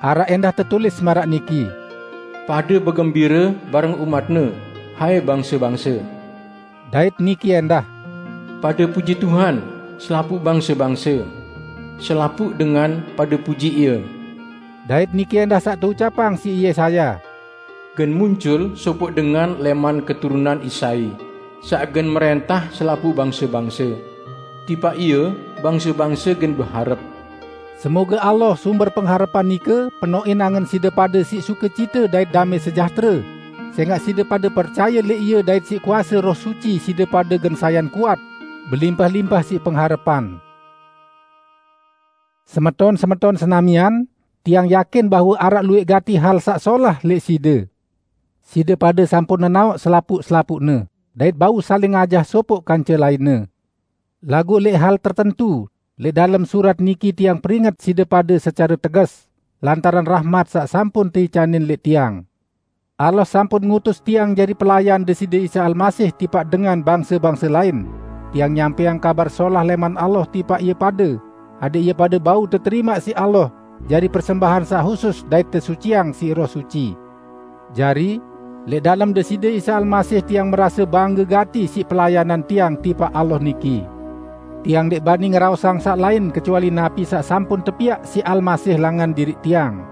Araq endah tetulis maraq niki, "Pade begembire bareng umat-Ne, hai bangse-bangse." Dait niki endah, "Pade puji Tuhan, selapuq bangse-bangse. Selapuq dengan pade puji Ie." Dait niki endah saq teucapang siq Yesaya, "Gen muncul sopoq dengan leman keturunan Isai, saq gen merentah selapuq bangse-bangse. Tipaq Ie bangse-bangse gen beharep." Semoge Allah, sumber pengharepan nike, penoqin angen side pade siq sukecite dait damẽ sejahtere, sengaq side pade percaye leq Ie dait siq kuase Roh Suci side pade gen sayan kuat, belimpah-limpah siq pengharepan. Semeton-semeton senamian, tiang yakin bahwe araq luwẽq gati hal saq solah leq side. Side pade sampun nenaoq selapuq-selapuqne, dait bau saling ajah sopoq kance lainne. Laguq leq hal tertentu, leq dalem surat niki tiang peringet side pade secare teges, lantaran rahmat saq sampun teicanin leq tiang. Allah sampun ngutus tiang jari pelayan Deside Isa Almasih tipaq dengan bangse-bangse lain. Tiang nyampẽang kabar solah leman Allah tipaq ie pade, adẽq ie pade bau teterimaq siq Allah jari persembahan saq husus dait tesuciang siq Roh Suci. Jari, leq dalem Deside Isa Almasih tiang merase bangge gati siq pelayanan tiang tipaq Allah niki. Tiang ndeq bani ngeraosang saq lain kecuali napi saq sampun tepiaq siq Almasih langan diriq tiang.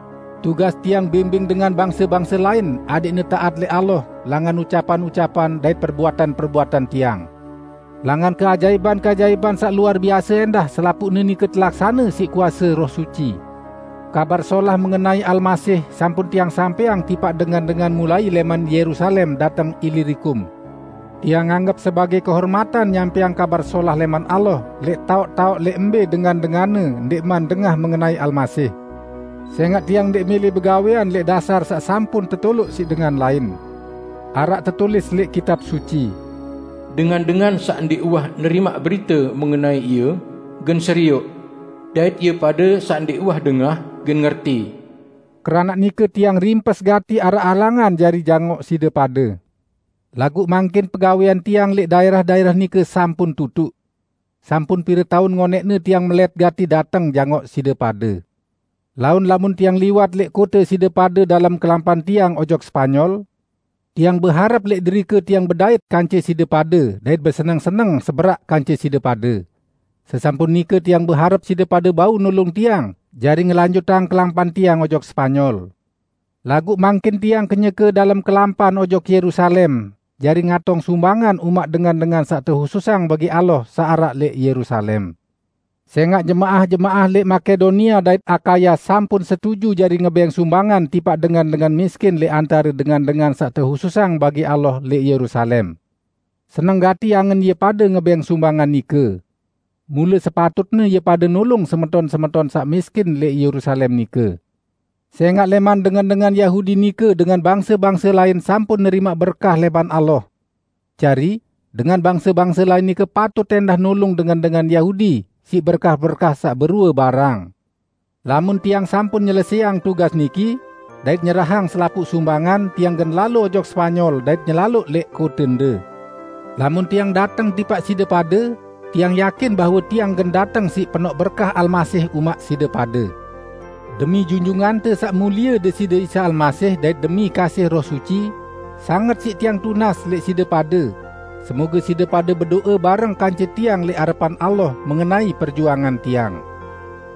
Tugas tiang bimbing dengan bangse-bangse lain adẽqne taat leq Allah langan ucapan-ucapan dait perbuatan-perbuatan tiang. Langan keajaiban-keajaiban saq luar biase endah selapuqne nike telaksane siq kuase Roh Suci. Kabar solah mengenai Almasih sampun tiang sampẽang tipaq dengan-dengan mulai leman Yerusalem dateng Ilirikum. Tiang nganggep sebagẽ kehormatan nyampẽang kabar solah leman Allah leq taoq-taoq leq mbe dengan-denganne ndeqman dengah mengenai Almasih. Sengaq tiang ndeq mele begawẽan leq dasar saq sampun tetoloq siq dengan lain. Araq tetulis leq Kitab Suci, "Dengan-dengan saq ndeq uwah nerimaq berite mengenai Ie, gen serioq, dait ie pade saq ndeq uwah dengah, gen ngerti." Keranaq nike tiang rimpes gati araq alangan jari jangoq side pade. Laguq mangkin pegawẽan tiang leq daerah-daerah nike sampun tutuq. Sampun pire taun ngonẽqne tiang melet gati dateng jangoq side pade. Laun lamun tiang liwat leq kote side pade dalem kelampan tiang ojok Spanyol, tiang beharep leq derike tiang bedait kance side pade dait beseneng-seneng seberaq kance side pade. Sesampun nike tiang beharep side pade bau nulung tiang jari ngelanjutang kelampan tiang ojok Spanyol. Laguq mangkin tiang kenyeke dalem kelampan ojok Yerusalem, jari ngatong sumbangan umaq dengan-dengan saq tehususang bagi Allah saq araq lẽq Yerusalem. Sẽngaq jemaah-jemaah lẽq Makedonia dait Akaya sampun setuju jari ngebẽng sumbangan tipaq dengan-dengan miskin lẽq antare dengan-dengan saq tehususang bagi Allah lẽq Yerusalem. Seneng gati angen ie pade ngebẽng sumbangan nike. Mule sepatutne ie pade nulung semeton-semeton saq miskin lẽq Yerusalem nike. Sẽngaq lẽman dengan-dengan Yahudi nike dengan bangse-bangse lain sampun nerimaq berkah lẽman Allah. Jari, dengan bangse-bangse lain nike patut ẽndah nulung dengan-dengan Yahudi siq berkah-berkah saq berue barang. Lamun tiang sampun nyelesẽang tugas niki, dait nyerahang selapuq sumbangan, tiang gen lalo ojok Spanyol dait nyelaloq lẽq kotende. Lamun tiang dateng tipaq side pade, tiang yakin bahwe tiang gen dateng siq penoq berkah Almasih umaq side pade. Demi Junjungante Saq Mulie Deside Isa Almasih dait demi kasih Roh Suci, sanget siq tiang tunas lẽq side pade, semoge side pade bedo'e bareng kance tiang lẽq arepan Allah mengenai perjuangan tiang.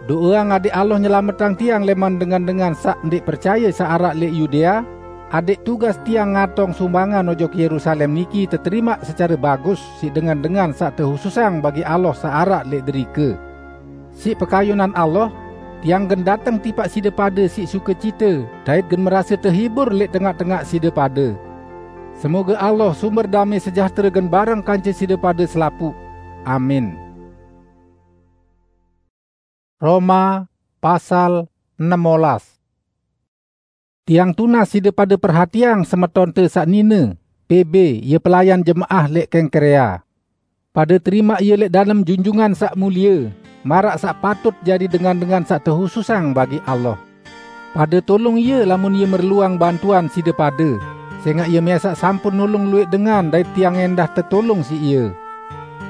Do'eang adẽq Allah nyelametang tiang lẽman dengan-dengan saq ndẽq percaye saq araq lẽq Yudea, adẽq tugas tiang ngatong sumbangan ojok Yerusalem niki teterimaq secare bagus siq dengan-dengan saq tehususang bagi Allah saq araq lẽq derike. Siq pekayunan Allah, tiang gen dateng tipaq side pade siq sukecite dait gen merase tehibur lẽq tengaq-tengaq side pade. Semoge Allah, sumber damẽ sejahtere, gen bareng kance side pade selapuq. Amin. Roma pasal enem olas. Tiang tunas side pade perhatiang semetonte saq nine, Pebe, ie pelayan jemaah lẽq Kengkrea. Pade terimaq ie lẽq dalem Junjungan Saq Mulie, maraq saq patut jari dengan-dengan saq tehususang bagi Allah. Pade tulung ie lamun ie merluang bantuan side pade, sẽngaq ie mẽsaq sampun nulung luwẽq dengan dait tiang ẽndah tetulung siq ie.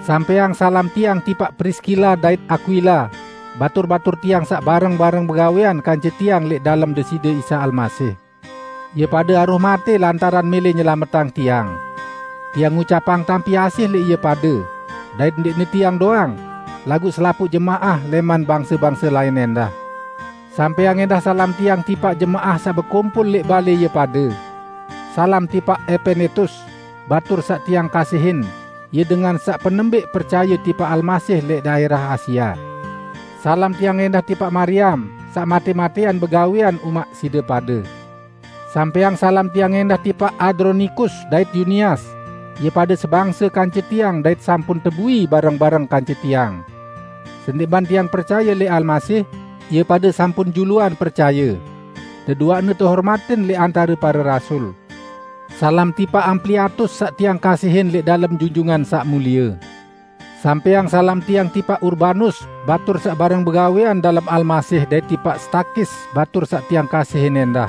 Sampẽang salam tiang tipaq Priskila dait Akwila, batur-batur tiang saq bareng-bareng begawẽan kance tiang lẽq dalem Deside Isa Almasih. Ie pade aruh matẽ lantaran mẽlẽ nyelametang tiang. Tiang ngucapang tampi asih lẽq ie pade, dait ndẽqne tiang doang, laguq selapuq jemaah lẽman bangse-bangse lain ẽndah. Sampẽang ẽndah salam tiang tipaq jemaah saq bekumpul lẽq balẽ ie pade. Salam tipaq Epenetus, batur saq tiang kasihin, ie dengan saq penembẽq percaye tipaq Almasih lẽq daerah Asia. Salam tiang ẽndah tipaq Mariam, saq matẽ-matẽan begawẽan umaq side pade. Sampẽang salam tiang ẽndah tipaq Adronikus dait Yunias, ie pade sebangse kance tiang dait sampun tebui bareng-bareng kance tiang. Sendẽqman tiang percaye lẽq Almasih, ie pade sampun juluan percaye. Deduaqne tehormatin lẽq antare pare rasul. Salam tipaq Ampliatus saq tiang kasihin lẽq dalem Junjungan Saq Mulie. Sampẽang salam tiang tipaq Urbanus, batur saq bareng begawẽan dalem Almasih, dait tipaq Stakis, batur saq tiang kasihin ẽndah.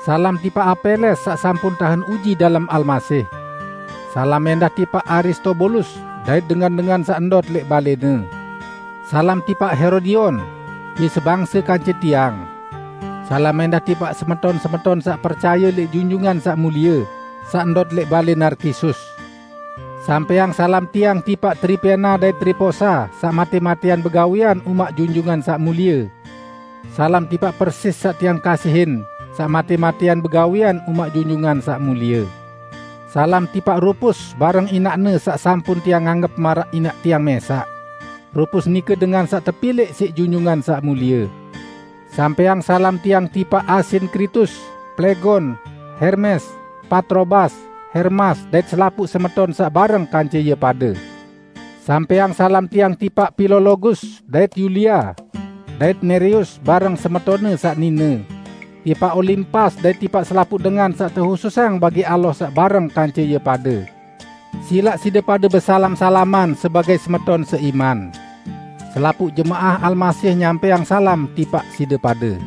Salam tipaq Apeles saq sampun tahen uji dalem Almasih. Salam ẽndah tipaq Aristobulus dait dengan-dengan saq ndot lẽq balẽne. Salam tipaq Herodion, ie sebangse kance tiang. Salam ẽndah tipaq semeton-semeton saq percaye lẽq Junjungan Saq Mulie, saq ndot lẽq balẽ Narkisus. Sampẽang salam tiang tipaq Tripena dait Triposa, saq matẽ-matẽan begawẽan umaq Junjungan Saq Mulie. Salam tipaq Persis saq tiang kasihin, saq matẽ-matẽan begawẽan umaq Junjungan Saq Mulie. Salam tipaq Rupus bareng inaqne saq sampun tiang anggep maraq inaq tiang mẽsaq. Rupus nike dengan saq tepilẽq siq Junjungan Saq Mulie. Sampẽang salam tiang tipaq Asinkritus, Plegon, Hermes, Patrobas, Hermas, dait selapuq semeton saq bareng kance ie pade. Sampẽang salam tiang tipaq Pilologus dait Yulia, dait Nereus bareng semetonne saq nine, tipaq Olimpas dait tipaq selapuq dengan saq tehususang bagi Allah saq bareng kance ie pade. Silaq side pade besalam-salaman sebagai semeton seiman. Selapuq jemaah Almasih nyampẽang salam tipaq side pade.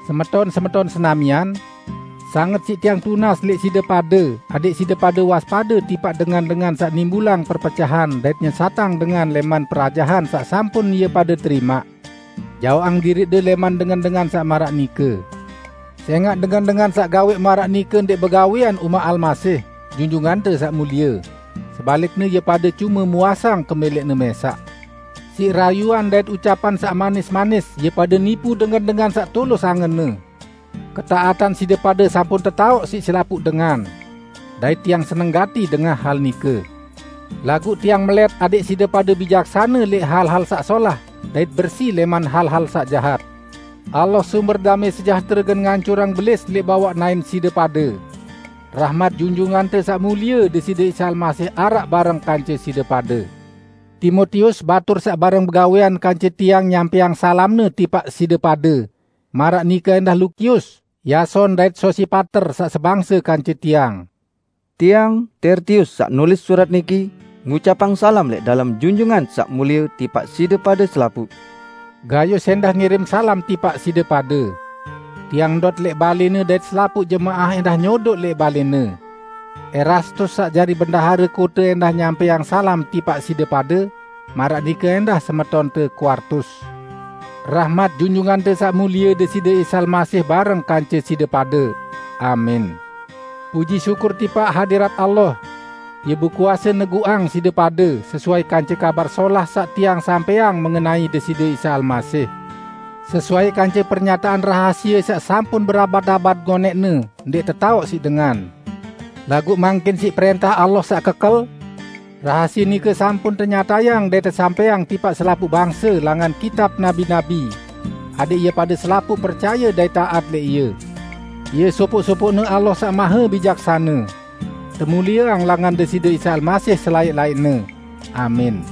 Semeton-semeton senamian, sanget siq tiang tunas lẽq side pade, adẽq side pade waspade tipaq dengan-dengan saq nimbulang perpecahan dait nyesatang dengan lẽman perajahan saq sampun ie pade terimaq. Jaoqang diriqde lẽman dengan-dengan saq maraq nike. Sẽngaq dengan-dengan saq gawẽq maraq nike ndẽq begawẽan umaq Almasih, Junjungante Saq Mulie. Sebalikne, ie pade cume muasang kemẽlẽqne mẽsaq. Siq rayuan dait ucapan saq manis-manis, ie pade nipu dengan-dengan saq tulus angenne. Ketaatan side pade sampun tetaoq siq selapuq dengan. dait tiang seneng gati dengah hal nike. Laguq tiang melet adẽq side pade bijaksane lẽq hal-hal saq solah, dait bersi lẽman hal-hal saq jahat. Allah sumber damẽ sejahtere gen ngancurang belis lẽq bawaq naen side pade. Rahmat Junjungante Saq Mulie Deside Isa Almasih araq bareng kance side pade. Timotius, batur saq bareng begawẽan kance tiang, nyampẽang salamne tipaq side pade. Maraq nike ẽndah Lukius, Yason dait Sosipater saq sebangse kance tiang. Tiang, Tertius, saq nulis surat niki, ngucapang salam lẽq dalem Junjungan Saq Mulie tipaq side pade selapuq. Gayus ẽndah ngirim salam tipaq side pade. Tiang ndot lẽq balẽne dait selapuq jemaah ẽndah nyodoq lẽq balẽne. Erastus saq jari bendahare kote ẽndah nyampẽang salam tipaq side pade, maraq nike ẽndah semetonte Kuartus. Rahmat Junjungante Saq Mulie Deside Isa Almasih bareng kance side pade. Amin. Puji syukur tipaq hadirat Allah. Ie bekuase neguqang side pade sesuai kance Kabar Solah saq tiang sampẽang mengenai Deside Isa Almasih. Sesuai kance pernyataan rahasie saq sampun berabad-abad ngonẽqne ndeq tetaoq siq dengan. Laguq mangkin siq prẽntah Allah saq kekel, rahasie nike sampun tenyatayang dait tesampẽang tipaq selapuq bangse langan kitab nabi-nabi, adẽq ie pade selapuq percaye dait taat lẽq ie. Ie sopoq-sopoqne Allah Saq Mahe Bijaksane. Temulieang langan Deside Isa Almasih selaẽq-laẽqne. Amin.